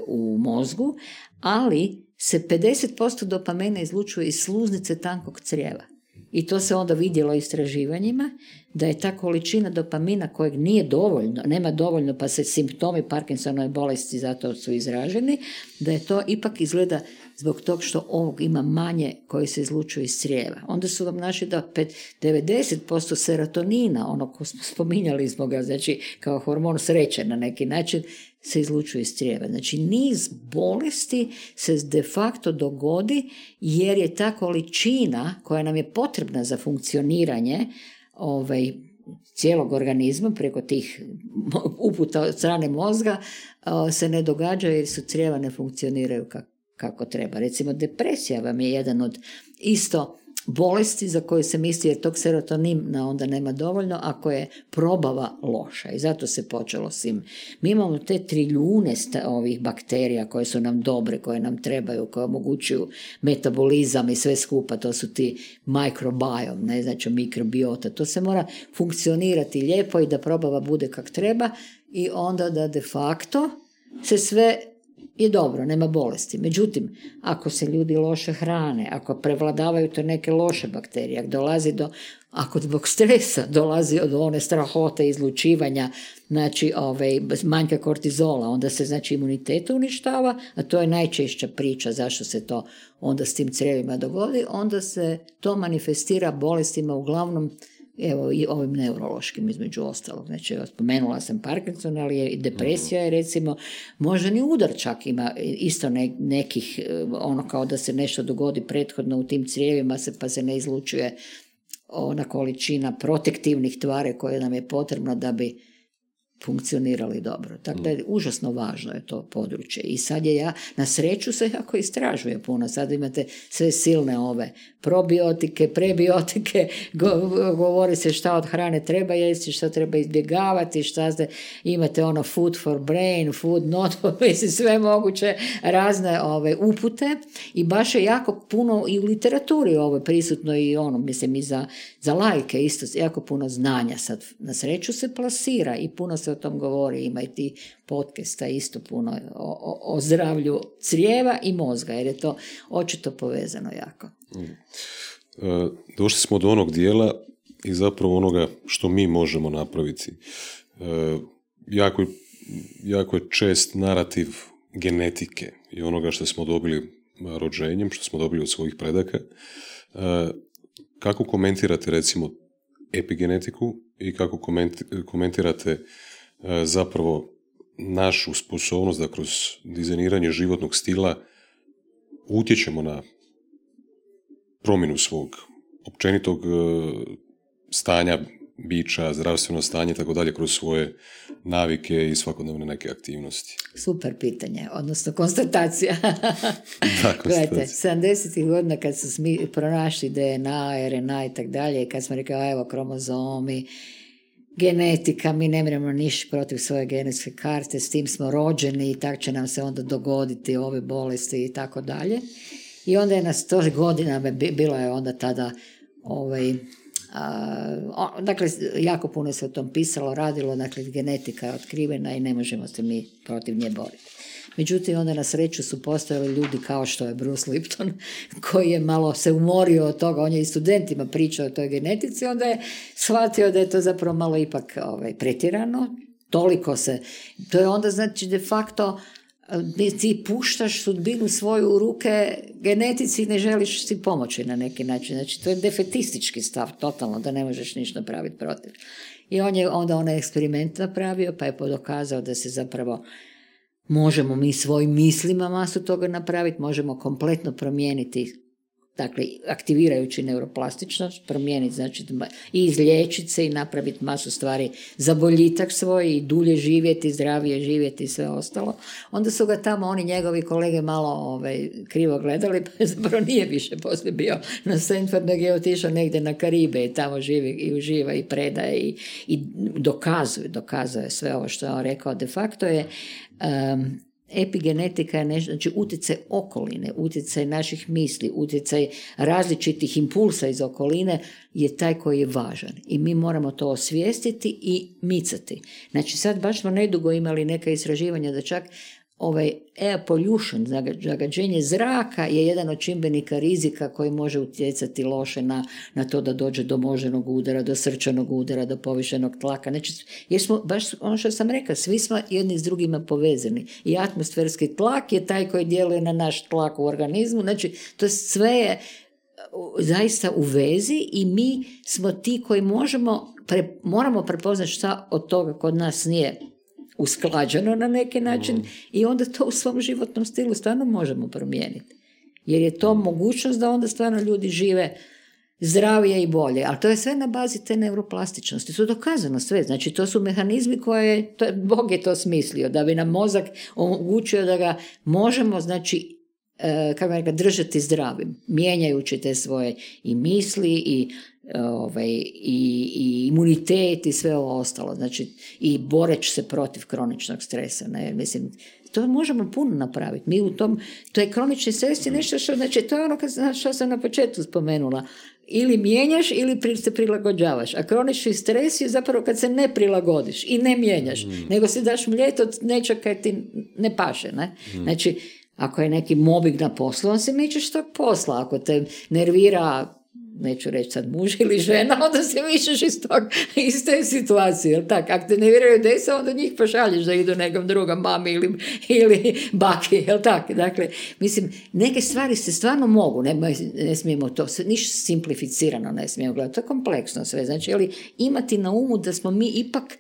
u mozgu, ali se 50% dopamina izlučuje iz sluznice tankog crijeva. I to se onda vidjelo istraživanjima, da je ta količina dopamina kojeg nije dovoljno, nema dovoljno, pa se simptomi Parkinsonove bolesti zato su izraženi, da je to ipak izgleda zbog tog što ovog ima manje koji se izlučuje iz crijeva. Onda su vam našli da 90% serotonina, ono ko smo spominjali smo ga, znači kao hormon sreće na neki način, se izlučuje iz crijeva. Znači niz bolesti se de facto dogodi jer je ta količina koja nam je potrebna za funkcioniranje cijelog organizma preko tih uputa od strane mozga se ne događa jer su crijeva ne funkcioniraju kako treba. Recimo depresija vam je jedan od isto bolesti za koju se misli jer tog serotonina onda nema dovoljno ako je probava loša i zato se počelo s tim. Mi imamo te trilijune ovih bakterija koje su nam dobre, koje nam trebaju, koje omogućuju metabolizam i sve skupa, to su ti microbiome, ne znači mikrobiota, to se mora funkcionirati lijepo i da probava bude kak treba i onda da de facto se sve je dobro, nema bolesti. Međutim, ako se ljudi loše hrane, ako prevladavaju to neke loše bakterije, ako zbog stresa dolazi od one strahote izlučivanja, znači manjka kortizola, onda se znači imunitet uništava, a to je najčešća priča zašto se to onda s tim crijevima dogodi, onda se to manifestira bolestima uglavnom i ovim neurološkim između ostalog. Znači, spomenula sam Parkinson, ali je i depresija je recimo, možda ni udar čak ima isto nekih, ono kao da se nešto dogodi prethodno u tim crijevima pa se ne izlučuje ona količina protektivnih tvari koje nam je potrebno da bi funkcionirali dobro. Tako da je užasno važno je to područje. I sad na sreću se jako istražuje puno. Sad imate sve silne probiotike, prebiotike, govori se šta od hrane treba jesti, šta treba izbjegavati, imate food for brain, food not, sve moguće razne upute i baš je jako puno i u literaturi prisutno i i za laike isto jako puno znanja sad na sreću se plasira i puno se o tom govori, ima i ti podcasta isto puno o zdravlju crijeva i mozga, jer je to očito povezano jako. Došli smo do onog dijela i zapravo onoga što mi možemo napraviti. Jako je čest narativ genetike i onoga što smo dobili rođenjem, što smo dobili od svojih predaka. Kako komentirate recimo epigenetiku i kako komentirate zapravo našu sposobnost da kroz dizajniranje životnog stila utječemo na promjenu svog općenitog stanja bića, zdravstveno stanje, tako dalje, kroz svoje navike i svakodnevne neke aktivnosti? Super pitanje, odnosno konstatacija. Gledajte, 70. godina kad su pronašli DNA, RNA i tako dalje, kad smo rekli, evo kromozomi, genetika, mi ne možemo ništa protiv svoje genetske karte, s tim smo rođeni i tako će nam se onda dogoditi ove bolesti i tako dalje. I onda je na 100 godina bilo je onda tada dakle, jako puno se o tom pisalo, radilo, dakle, genetika je otkrivena i ne možemo se mi protiv nje boriti. Međutim, onda na sreću su postojali ljudi kao što je Bruce Lipton, koji je malo se umorio od toga, on je i studentima pričao o toj genetici, onda je shvatio da je to zapravo malo ipak pretjerano, toliko se, to je onda znači de facto ti puštaš sudbinu svoju u ruke genetici i ne želiš si pomoći na neki način. Znači, to je defetistički stav, totalno, da ne možeš ništa napraviti protiv. I on je onda onaj eksperiment napravio, pa je dokazao da se zapravo možemo mi svojim mislima masu toga napraviti, možemo kompletno promijeniti, dakle, aktivirajući neuroplastičnost, promijeniti, znači, i izliječiti se i napraviti masu stvari za boljitak svoj i dulje živjeti, zdravije živjeti i sve ostalo. Onda su ga tamo oni njegovi kolege malo krivo gledali, pa zapravo nije više poslije bio na Stanford, nego je otišao negdje na Karibe i tamo živi i uživa i predaje i dokazuje sve ovo što je on rekao. De facto je epigenetika je nešto, znači utjecaj okoline, utjecaj naših misli, utjecaj različitih impulsa iz okoline je taj koji je važan i mi moramo to osvijestiti i micati. Znači sad baš smo nedugo imali neka istraživanja da čak air pollution, zagađenje zraka je jedan od čimbenika rizika koji može utjecati loše na to da dođe do moždanog udara, do srčanog udara, do povišenog tlaka. Znači, jer smo, baš ono što sam rekla, svi smo jedni s drugima povezani. I atmosferski tlak je taj koji djeluje na naš tlak u organizmu. Znači, to sve je zaista u vezi i mi smo ti koji moramo prepoznati šta od toga kod nas nije usklađeno na neki način i onda to u svom životnom stilu stvarno možemo promijeniti. Jer je to mogućnost da onda stvarno ljudi žive zdravije i bolje. Ali to je sve na bazi te neuroplastičnosti. To je dokazano sve. Znači, to su mehanizmi koje, Bog je to smislio, da bi nam mozak omogućio da ga možemo, znači, držati zdravim, mijenjajući te svoje i misli i imunitet i sve ovo ostalo, znači i boreći se protiv kroničnog stresa, ne, mislim, to možemo puno napraviti. Mi u tom, to je kronični stres je nešto što, znači, to je ono što sam na početku spomenula, ili mijenjaš ili se prilagođavaš, a kronični stres je zapravo kad se ne prilagodiš i ne mijenjaš, nego se daš mljet od nečeg kaj ti ne paše, ne? Znači, ako je neki mobbing na poslu, on se mičeš tog posla, ako te nervira, neću reći sad muž ili žena, onda se mišeš iz te situacije, jel tak? Ako te nerviraju djeca, onda njih pošalješ da idu nekom drugom mami ili baki, jel tak? Dakle, mislim, neke stvari se stvarno mogu, ne smijemo to, ništa simplificirano ne smijemo gledati, to je kompleksno sve, znači, ali imati na umu da smo mi ipak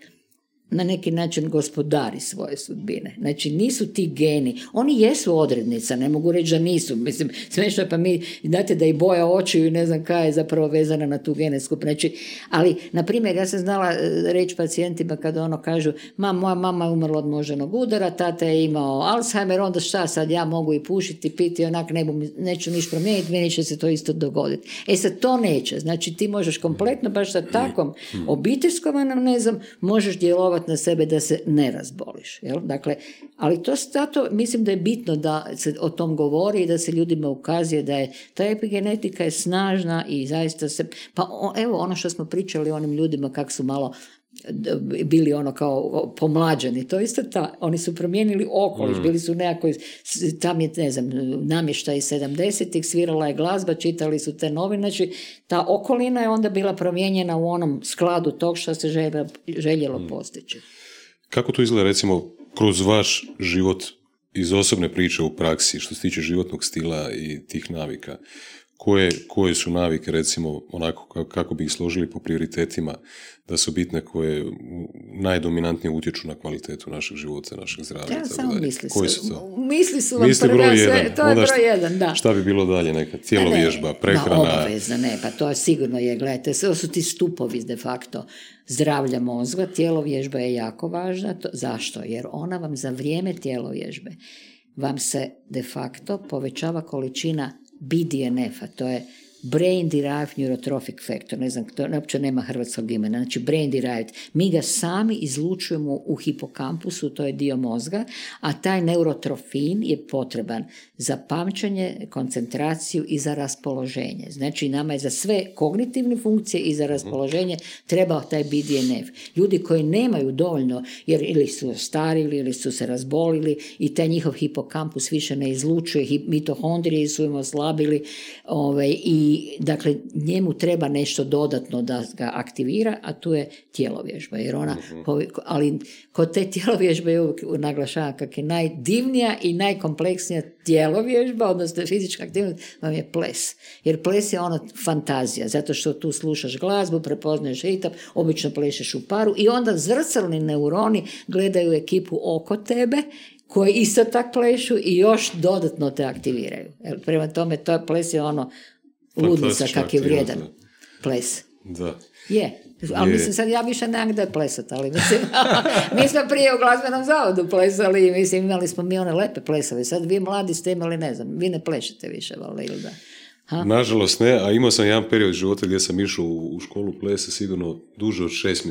na neki način gospodari svoje sudbine. Znači, nisu ti geni. Oni jesu odrednica, ne mogu reći da nisu. Mislim, smiješno, pa mi, znate da i boja očiju i ne znam kaj je zapravo vezana na tu genetsku. Znači, ali, na primjer, ja sam znala reći pacijentima kada ono kažu, moja mama je umrla od moždanog udara, tata je imao Alzheimer, onda šta sad, ja mogu i pušiti, piti, onak neću niš promijeniti, meni će se to isto dogoditi. Sad, to neće. Znači, ti možeš kompletno, baš sa takvom obiteljskom anamnezom, možeš djelovati na sebe da se ne razboliš. Jel? Dakle, ali to zato mislim da je bitno da se o tom govori i da se ljudima ukazuje da je ta epigenetika je snažna i zaista se, pa evo ono što smo pričali onim ljudima kako su malo bili ono kao pomlađeni, to isto oni su promijenili okoliš, bili su nekako, tam je, ne znam, namještaj 70-ih, svirala je glazba, čitali su te novine, znači ta okolina je onda bila promijenjena u onom skladu tog što se željelo postići. Kako to izgleda, recimo, kroz vaš život iz osobne priče u praksi, što se tiče životnog stila i tih navika? Koje su navike, recimo, onako kako bi ih složili po prioritetima, da su bitne, koje najdominantnije utječu na kvalitetu našeg života, našeg zdravlja? Ja samo misli su vam prva, sve, to je broj jedan, da. Šta bi bilo dalje, neka tjelovježba, prehrana? Obavezno, pa to je sigurno je, gledajte, sve su ti stupovi de facto zdravlja mozga, tjelovježba je jako važna, zašto? Jer ona vam za vrijeme tjelovježbe vam se de facto povećava količina BDNF-a, to je brain derived neurotrophic factor, ne znam, to uopće nema hrvatskog imena, znači brain derived, mi ga sami izlučujemo u hipokampusu, to je dio mozga, a taj neurotrofin je potreban za pamćenje, koncentraciju i za raspoloženje. Znači nama je za sve kognitivne funkcije i za raspoloženje trebao taj BDNF. Ljudi koji nemaju dovoljno, jer ili su starili ili su se razbolili i taj njihov hipokampus više ne izlučuje, mitohondrije su im oslabili, i dakle njemu treba nešto dodatno da ga aktivira, a tu je tjelovježba, jer ona, ali kod te tjelovježbe je uvijek naglašavam kako je najdivnija i najkompleksnija tjelovježba, odnosno fizička aktivnost, vam je ples. Jer ples je ono fantazija, zato što tu slušaš glazbu, prepoznaješ ritam, obično plešeš u paru i onda zrcalni neuroni gledaju ekipu oko tebe, koji isto tak plešu i još dodatno te aktiviraju. Prema tome, to ples je ono ludnica kak je vrijedan ples. Da. Je. Ali mislim, sad ja više nemam gdje plesati, ali mislim, mi smo prije u glazbenom zavodu plesali, mislim, imali smo mi one lepe plesove, sad vi mladi ste imali, ne znam, vi ne plešete više, valjda, ili da? Ha? Nažalost ne, a imao sam jedan period života gdje sam išao u školu plesa sigurno duže od 6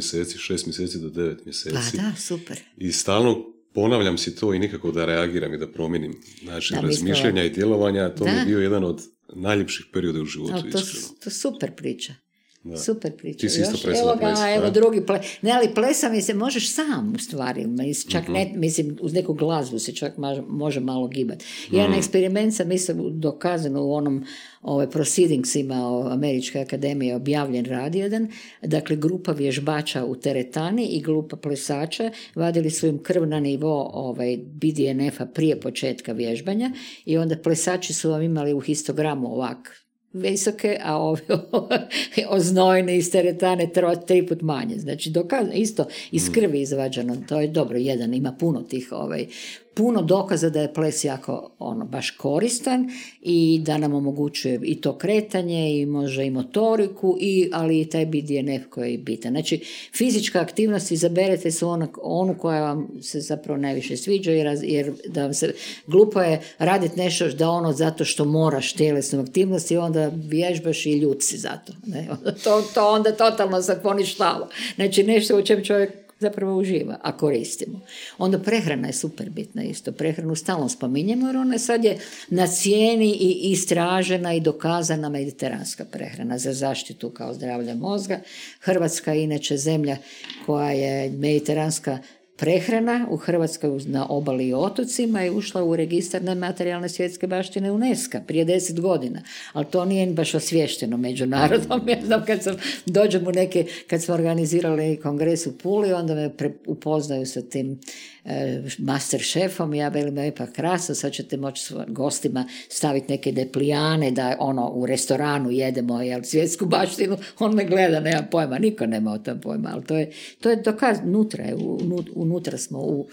mjeseci do 9 mjeseci. Pa da, super. I stalno ponavljam si to i nikako da reagiram i da promijenim način razmišljanja i djelovanja, to mi je bio jedan od najljepših perioda u životu, iskreno. To super priča. Da. Super priča. Ti si isto plesala ples. Evo drugi ples. Ne, ali plesa mi se možeš sam u stvari. Čak ne, mislim, uz neku glazbu se čak može malo gibati. Jedan eksperiment sam dokazano u onom proceedingsima Američke akademije objavljen rad jedan. Dakle, grupa vježbača u teretani i grupa plesača vadili su im krv na nivo BDNF-a prije početka vježbanja i onda plesači su vam imali u histogramu ovak visoke, a ovi oznojene iz teretane 3 put manje. Znači, dokazano, isto iz krvi izvađano, to je dobro, jedan, ima puno tih puno dokaza da je ples jako baš koristan i da nam omogućuje i to kretanje i može i motoriku, ali i taj BDNF koji je bitan. Znači, fizička aktivnost izaberete su onu koja vam se zapravo najviše sviđa, jer da vam se glupo je raditi nešto da zato što moraš tjelesnu aktivnost i onda vježbaš i ljut si zato. Ne? To onda totalno se poništava. Znači, nešto u čem čovjek zapravo uživa, a koristimo. Onda prehrana je super bitna isto. Prehranu stalno spominjemo, jer ona sad je na cijeni i istražena i dokazana mediteranska prehrana za zaštitu kao zdravlja mozga. Hrvatska je inače zemlja koja je mediteranska prehrana u Hrvatskoj na obali i otocima je ušla u registar nematerijalne svjetske baštine UNESCO prije 10 godina, ali to nije baš osviješteno međunarodom. Ja znam kad smo organizirali kongres u Puli, onda me upoznaju sa tim master šefom, ja velim, pa krasno, sad ćete moći svojim gostima staviti neke deplijane da u restoranu jedemo svjetsku baštinu, on me gleda, nema pojma, niko nema o tom pojma, ali to je dokaz, unutra smo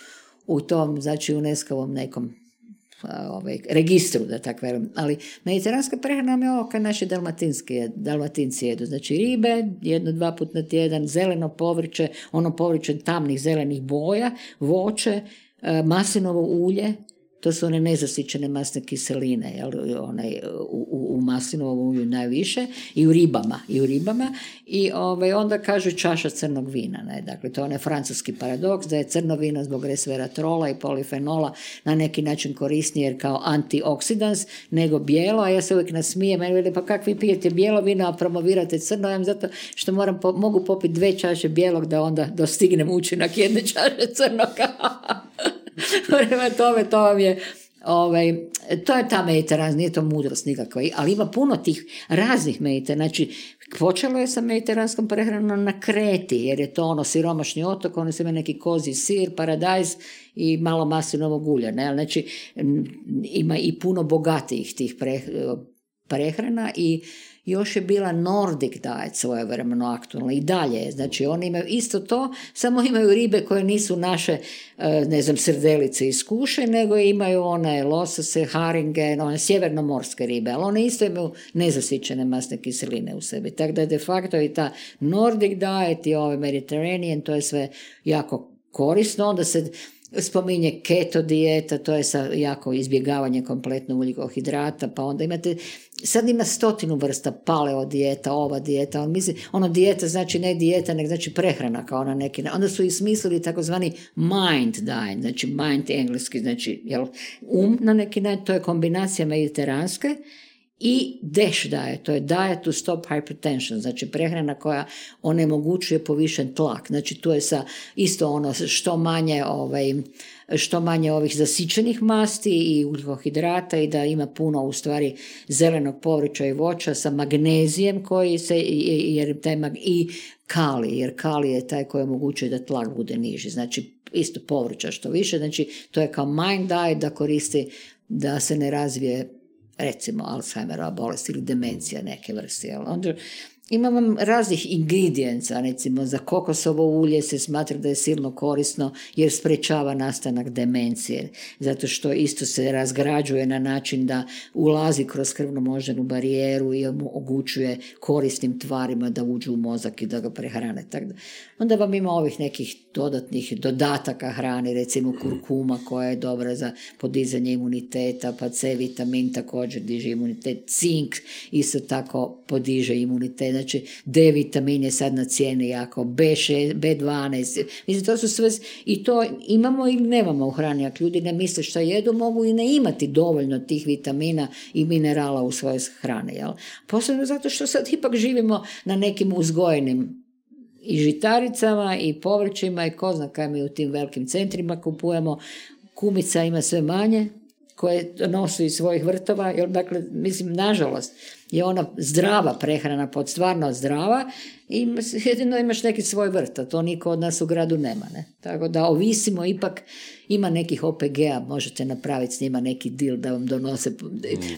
u tom, znači UNESCO-ovom nekom registru, da tako velim. Ali mediteranska prehrana nam je ovo kao naši dalmatinci jedu. Znači ribe, 1-2 puta na tjedan, zeleno povrće, povrće tamnih zelenih boja, voće, maslinovo ulje, to su one nezasićene masne kiseline, u maslinovom ulju najviše, i u ribama. I onda kažu čaša crnog vina. Ne? Dakle, to je onaj francuski paradoks, da je crno vino zbog resveratrola i polifenola na neki način korisnije jer kao antioksidans nego bijelo, a ja se uvijek nasmijem, meni veli, pa kak vi pijete bijelo vino, a promovirate crno, ja zato što mogu popiti 2 čaše bijelog da onda dostignem učinak 1 čaše crnoga. Prema tome, to vam je to je ta mediteran, nije to mudrost nikakva, ali ima puno tih raznih mediterana. Znači, počelo je sa mediteranskom prehranom na Kreti, jer je to siromašni otok, oni su imali neki kozji sir, paradajz i malo maslinovog ulja. Ne? Znači, ima i puno bogatijih tih prehrana i još je bila Nordic diet svojevremeno aktualna i dalje. Znači, oni imaju isto to, samo imaju ribe koje nisu naše, srdelice iz kuše, nego imaju one losose, haringe, one sjevernomorske ribe, ali one isto imaju nezasićene masne kiseline u sebi. Tako da je de facto i ta Nordic diet i Mediterranean, to je sve jako korisno. Onda se spominje keto dijeta, to je sa jako izbjegavanje kompletno ugljikohidrata, pa onda imate, sad ima 100 vrsta paleo dijeta, ova dijeta, ali mislim, dijeta znači ne dijeta, nego znači prehrana kao na neki, onda su i smislili takozvani mind diet, znači mind engleski, znači na neki način, to je kombinacija mediteranske, i DASH diet, to je diet to stop hypertension, znači prehrana koja onemogućuje povišen tlak, znači to je isto što manje ovih zasićenih masti i ugljikohidrata i da ima puno u stvari zelenog povrća i voća sa magnezijem koji se, i kalij, jer kalij je taj koji omogućuje da tlak bude niži, znači isto povrća što više, znači to je kao mind diet da koristi da se ne razvije recimo Alzheimerova bolest ili demencija neke vrste. Onda imamo raznih ingredijensa, recimo za kokosovo ulje se smatra da je silno korisno jer sprečava nastanak demencije, zato što isto se razgrađuje na način da ulazi kroz krvno-moždanu barijeru i omogućuje korisnim tvarima da uđu u mozak i da ga prehrane. Onda vam ima ovih nekih dodatnih dodataka hrani, recimo kurkuma koja je dobra za podizanje imuniteta, pa C vitamin također diže imunitet, cink isto tako podiže imunitet, znači D vitamin je sad na cijeni jako, B6, B12, mislim to su sve, i to imamo ili nemamo u hrani, ako ljudi ne misle što jedu, mogu i ne imati dovoljno tih vitamina i minerala u svojoj hrani, jel? Posebno zato što sad ipak živimo na nekim uzgojenim i žitaricama i povrćima i ko zna kaj mi u tim velikim centrima kupujemo, kumica ima sve manje koje nosu iz svojih vrtova, jer dakle, mislim, nažalost, je ona zdrava prehrana, pod stvarno zdrava, i jedino imaš neki svoj vrt, a to niko od nas u gradu nema, ne? Tako da ovisimo, ipak ima nekih OPG-a, možete napraviti s njima neki deal da vam donose,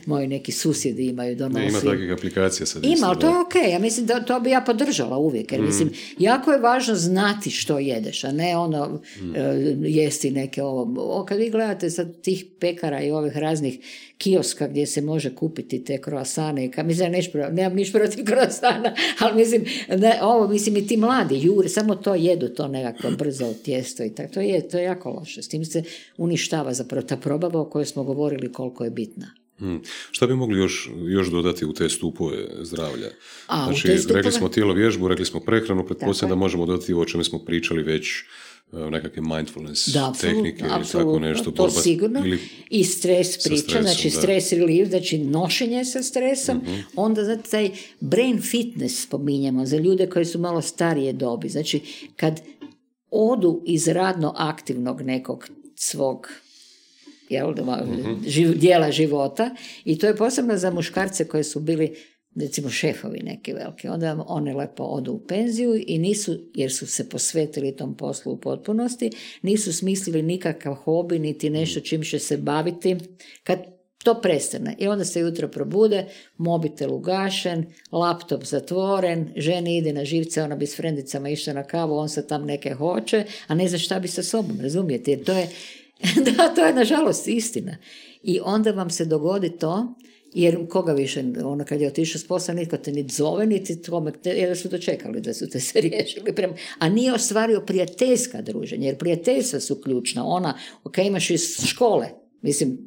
moji neki susjedi imaju, donose. Ima takvih aplikacija sad. Ima, ali to je okej, ja mislim da to bi ja podržala uvijek, jer mislim, jako je važno znati što jedeš, a ne jesti neke kad vi gledate sad tih pekara i ovih raznih kioska gdje se može kupiti te kroasane, mislim, nemam niš protiv kroasana, ali mislim, i ti mladi jure, samo to jedu, to nekako brzo tijesto i tako, to je jako loše, s tim se uništava zapravo ta probava o kojoj smo govorili koliko je bitna. Šta bi mogli još dodati u te stupove zdravlja? Rekli smo tijelo vježbu, rekli smo prehranu, pretpostavljam da možemo dodati o čemu smo pričali već, nekakve mindfulness tehnike ili tako nešto. To sigurno. I stres priča, znači stres relief, znači nošenje sa stresom. Onda znači taj brain fitness spominjemo za ljude koji su malo starije dobi. Znači kad odu iz radno aktivnog nekog svog dijela života, i to je posebno za muškarce koji su bili recimo šefovi neki veliki, onda one lepo odu u penziju i nisu, jer su se posvetili tom poslu u potpunosti, nisu smislili nikakav hobi niti nešto čim će se baviti kad to prestane. I onda se jutro probude, mobitel ugašen, laptop zatvoren, ženi ide na živce, ona bi s frendicama išla na kavu, on se tam neke hoće, a ne zna šta bi sa sobom, razumijete? Jer to je to je nažalost istina. I onda vam se dogodi to, jer koga više, kad je otišao s posla, nitko te ni zove, niti tome, jer su to čekali da su te se riješili. A nije ostvario prijateljska druženja, jer prijateljstva su ključna. Imaš iz škole, mislim,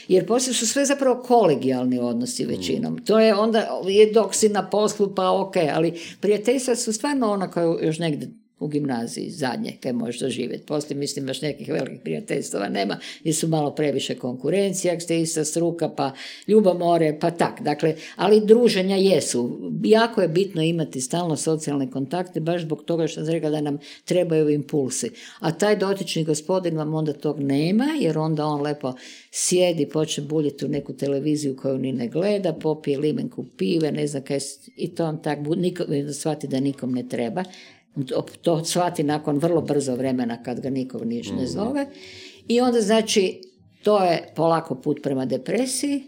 jer poslije su sve zapravo kolegijalni odnosi većinom. To je onda, dok si na poslu, pa ali prijateljstva su stvarno ona koja još negdje u gimnaziji zadnje, kaj možeš doživjeti. Poslije, mislim, baš nekih velikih prijateljstava nema, jer su malo previše konkurencija, ako ste ista struka, pa ljubomore, pa tak. Dakle, ali druženja jesu. Jako je bitno imati stalno socijalne kontakte, baš zbog toga što sam rekla da nam trebaju impulsi. A taj dotični gospodin vam onda tog nema, jer onda on lepo sjedi, počne buljiti u neku televiziju koju ni ne gleda, popije limenku pive, ne znam kaj, i to on tak shvati da nikom ne treba. To shvati nakon vrlo brzo vremena kad ga nikog niš ne zove. I onda znači to je polako put prema depresiji,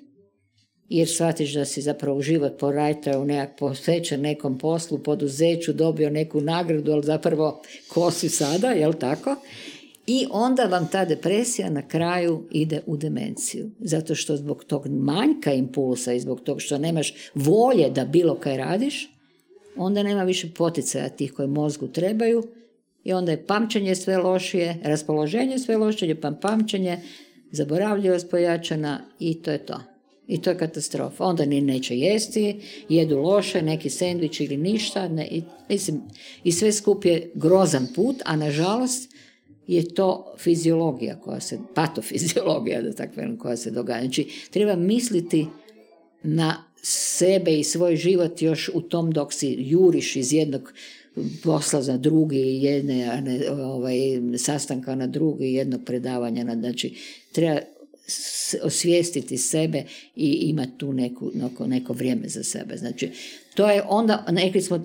jer shvatiš da si zapravo u život porajtao posvećen nekom poslu, poduzeću, dobio neku nagradu, ali zapravo ko si sada, jel tako? I onda vam ta depresija na kraju ide u demenciju. Zato što zbog tog manjka impulsa i zbog tog što nemaš volje da bilo kaj radiš, onda nema više poticaja tih koji mozgu trebaju i onda je pamćenje sve lošije, raspoloženje sve lošije, pa pamćenje, zaboravljivost pojačana i to je to. I to je katastrofa. Onda ni neće jesti, jedu loše, neki sendvič ili ništa. I sve skup je grozan put, a nažalost je to fiziologija patofiziologija, da tako velim, koja se događa. Znači, treba misliti na sebe i svoj život još u tom dok si juriš iz jednog posla za drugi, jedne sastanka na drugi, jednog predavanja. Znači, treba osvijestiti sebe i imati tu neko vrijeme za sebe. Znači, to je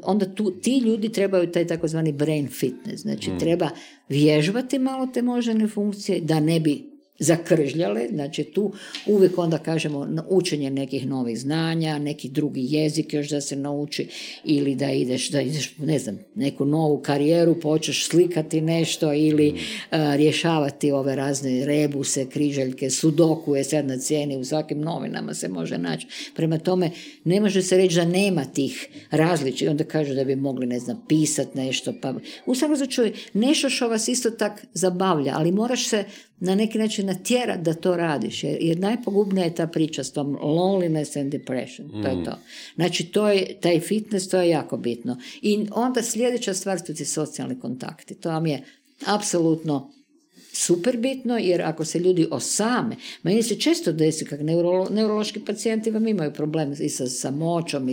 onda ti ljudi trebaju taj takozvani brain fitness. Znači, treba vježbati malo te moždane funkcije da ne bi zakržljale, znači tu uvijek onda kažemo učenje nekih novih znanja, neki drugi jezik još da se nauči ili da ideš ne znam, neku novu karijeru, počneš slikati nešto ili rješavati ove razne rebuse, križaljke, sudoku je sad na cijeni, u svakim novinama se može naći. Prema tome, ne može se reći da nema tih različitih, onda kažu da bi mogli, ne znam, pisati nešto, pa u svakom slučaju nešto što vas isto tak zabavlja, ali moraš se na neki način natjerati da to radiš, jer najpogubnija je ta priča s tom loneliness and depression, to je to. Znači, taj fitness, to je jako bitno. I onda sljedeća stvar su ti socijalni kontakti, to vam je apsolutno super bitno, jer ako se ljudi osame, meni se često desi kak neurološki pacijenti vam imaju problem i sa samoćom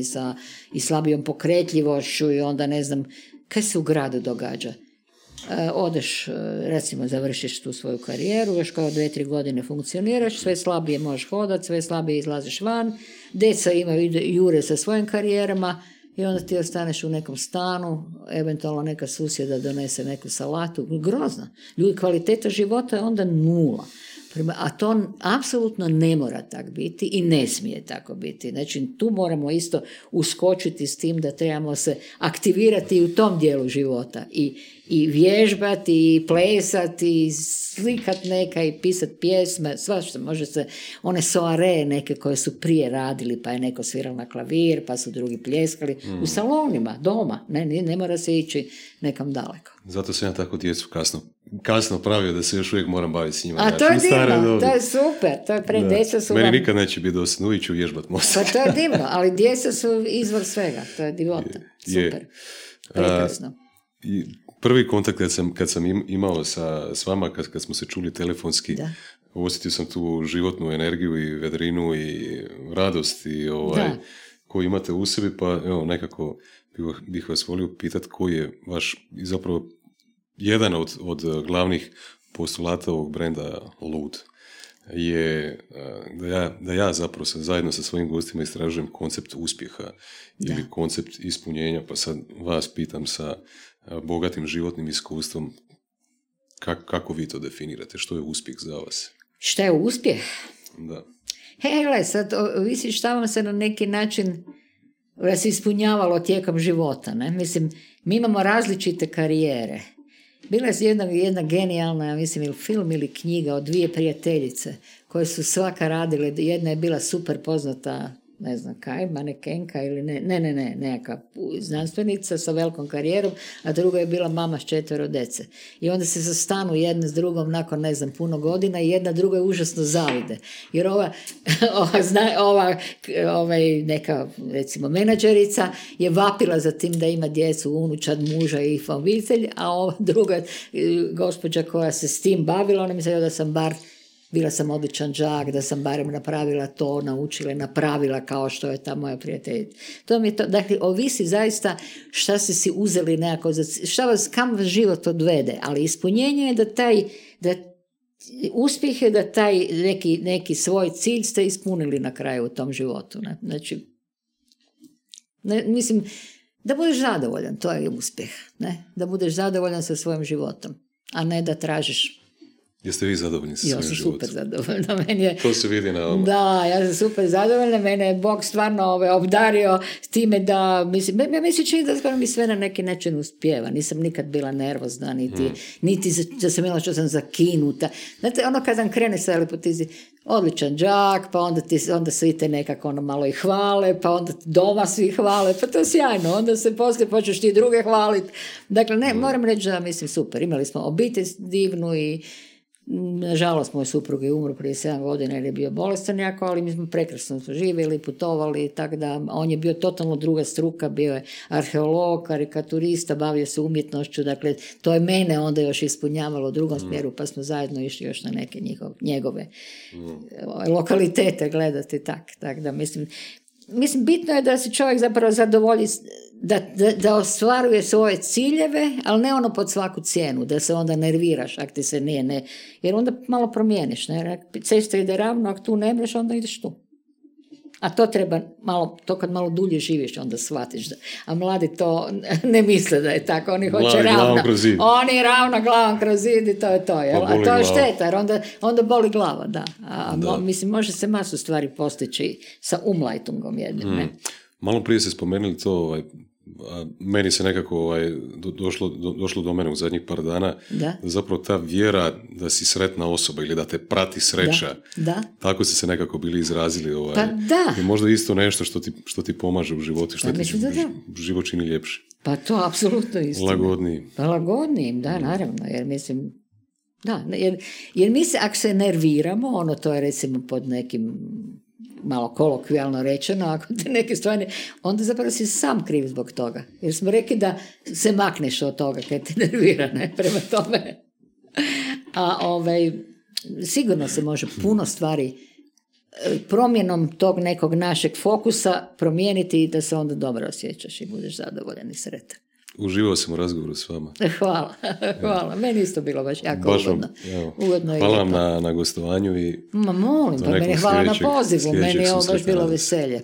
i slabijom pokretljivošću i onda ne znam, kaj se u gradu događa. Odeš, recimo, završiš tu svoju karijeru, još kao 2-3 godine funkcioniraš, sve slabije možeš hodati, sve slabije izlaziš van, djeca jure sa svojim karijerama i onda ti ostaneš u nekom stanu, eventualno neka susjeda donese neku salatu, grozno. Ljudi, kvaliteta života je onda 0. A to apsolutno ne mora tako biti i ne smije tako biti. Znači, tu moramo isto uskočiti s tim da trebamo se aktivirati u tom dijelu života i vježbati, i plesati, i slikat neka, i pisati pjesme, svašta. Može se, one soare neke koje su prije radili, pa je neko svirao na klavir, pa su drugi pljeskali, u salonima, doma, ne mora se ići nekam daleko. Zato sam ja tako djecu kasno pravio da se još uvijek moram baviti s njima. A to je divno, to je super, to je djeca su meni nikad neće biti dosadno, uvijek ću vježbat mozak. Pa to je divno, ali djeca su izvor svega, to je divota, super, prekrasno. I prvi kontakt kad sam imao s vama, kad smo se čuli telefonski, osjetio sam tu životnu energiju i vedrinu i radost i koju imate u sebi, pa evo, nekako bih vas volio pitati koji je vaš, zapravo jedan od glavnih postulata ovog brenda Lud je da ja zapravo zajedno sa svojim gostima istražujem koncept uspjeha ili koncept ispunjenja, pa sad vas pitam sa bogatim životnim iskustvom, kako vi to definirate? Što je uspjeh za vas? Šta je uspjeh? Da. Hele, sad ovisi šta vam se na neki način vas ispunjavalo tijekom života. Ne? Mislim, mi imamo različite karijere. Bila je jedna genijalna, ja mislim, ili film ili knjiga od 2 prijateljice koje su svaka radile. Jedna je bila super poznata, ne znam kaj, manekenka ili nekakva znanstvenica sa velikom karijerom, a druga je bila mama s 4 djece. I onda se zastanu jedna s drugom nakon, ne znam, puno godina i jedna druga je užasno zavide. Jer ova neka, recimo, menadžerica je vapila za tim da ima djecu, unučad, muža i obitelj, a ova druga gospođa koja se s tim bavila, ona mi se da bila sam odličan đak, da sam barem napravila to, naučila, napravila kao što je ta moja prijateljica. To mi je to, dakle, ovisi zaista šta ste si uzeli nekako, kam vas život odvede, ali ispunjenje je da uspjeh je da taj neki svoj cilj ste ispunili na kraju u tom životu. Ne? Znači, mislim, da budeš zadovoljan, to je uspjeh. Ne? Da budeš zadovoljan sa svojim životom, a ne da tražiš Jeste vi zadovoljni sa svojim životom? Ja sam super zadovoljna. Meni je, to se vidi na ovom. Da, ja sam super zadovoljna. Mene je Bog stvarno obdario s time da, ja se čini da skoro mi sve na neki način uspijeva. Nisam nikad bila nervozna, niti da sam imala što sam zakinuta. Znate, ono kad sam krene sa lepotizi, odličan đak, pa onda svi te nekako malo i hvale, pa onda doma svi hvale, pa to je sjajno, onda se poslije počneš ti druge hvaliti. Dakle, moram reći da mislim super. Imali smo obitelj divnu i nažalost moj suprug je umro prije 7 godina jer je bio bolestan jako, ali mi smo prekrasno živjeli, putovali, tako da on je bio totalno druga struka, bio je arheolog, karikaturista, bavio se umjetnošću, dakle to je mene onda još ispunjavalo u drugom smjeru, pa smo zajedno išli još na neke njegove lokalitete gledati, tako da mislim bitno je da se čovjek zapravo zadovolji, da ostvaruje svoje ciljeve, ali ne ono pod svaku cijenu, da se onda nerviraš ako ti se ne, jer onda malo promijeniš, ne? Cesta ide ravno, ako tu ne mreš, onda ideš tu. A to treba to kad malo dulje živiš, onda shvatiš da. A mladi to ne misle da je tako, oni hoće ravno. Oni ravno glavom kroz zid i to je to. Jel? A to je šteta, jer onda boli glava, da. Mislim, može se masu stvari postići sa umlajtungom jednim, ne? Malo prije ste spomenuli to, meni se nekako došlo do mene u zadnjih par dana, da zapravo ta vjera da si sretna osoba ili da te prati sreća, tako ste se nekako bili izrazili. Pa da. I možda isto nešto što ti pomaže u životu, što ti život čini ljepši. Pa to apsolutno isto. Lagodniji. Pa lagodnijim, da, naravno, jer mislim, da, jer mi se, ako se nerviramo, to je recimo pod nekim malo kolokvijalno rečeno, ako te neke stvari, onda zapravo si sam kriv zbog toga. Jer smo rekli da se makneš od toga kad te nervira, ne? Prema tome. A sigurno se može puno stvari promjenom tog nekog našeg fokusa promijeniti i da se onda dobro osjećaš i budeš zadovoljan i sretan. Uživao sam u razgovoru s vama. Hvala. Meni isto bilo baš jako ugodno. Hvala vam na gostovanju. Molim, pa meni hvala na pozivu. Meni je ovo baš bilo veselje.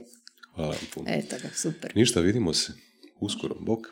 Hvala vam puno. Eto ga, super. Ništa, vidimo se uskoro. Bok.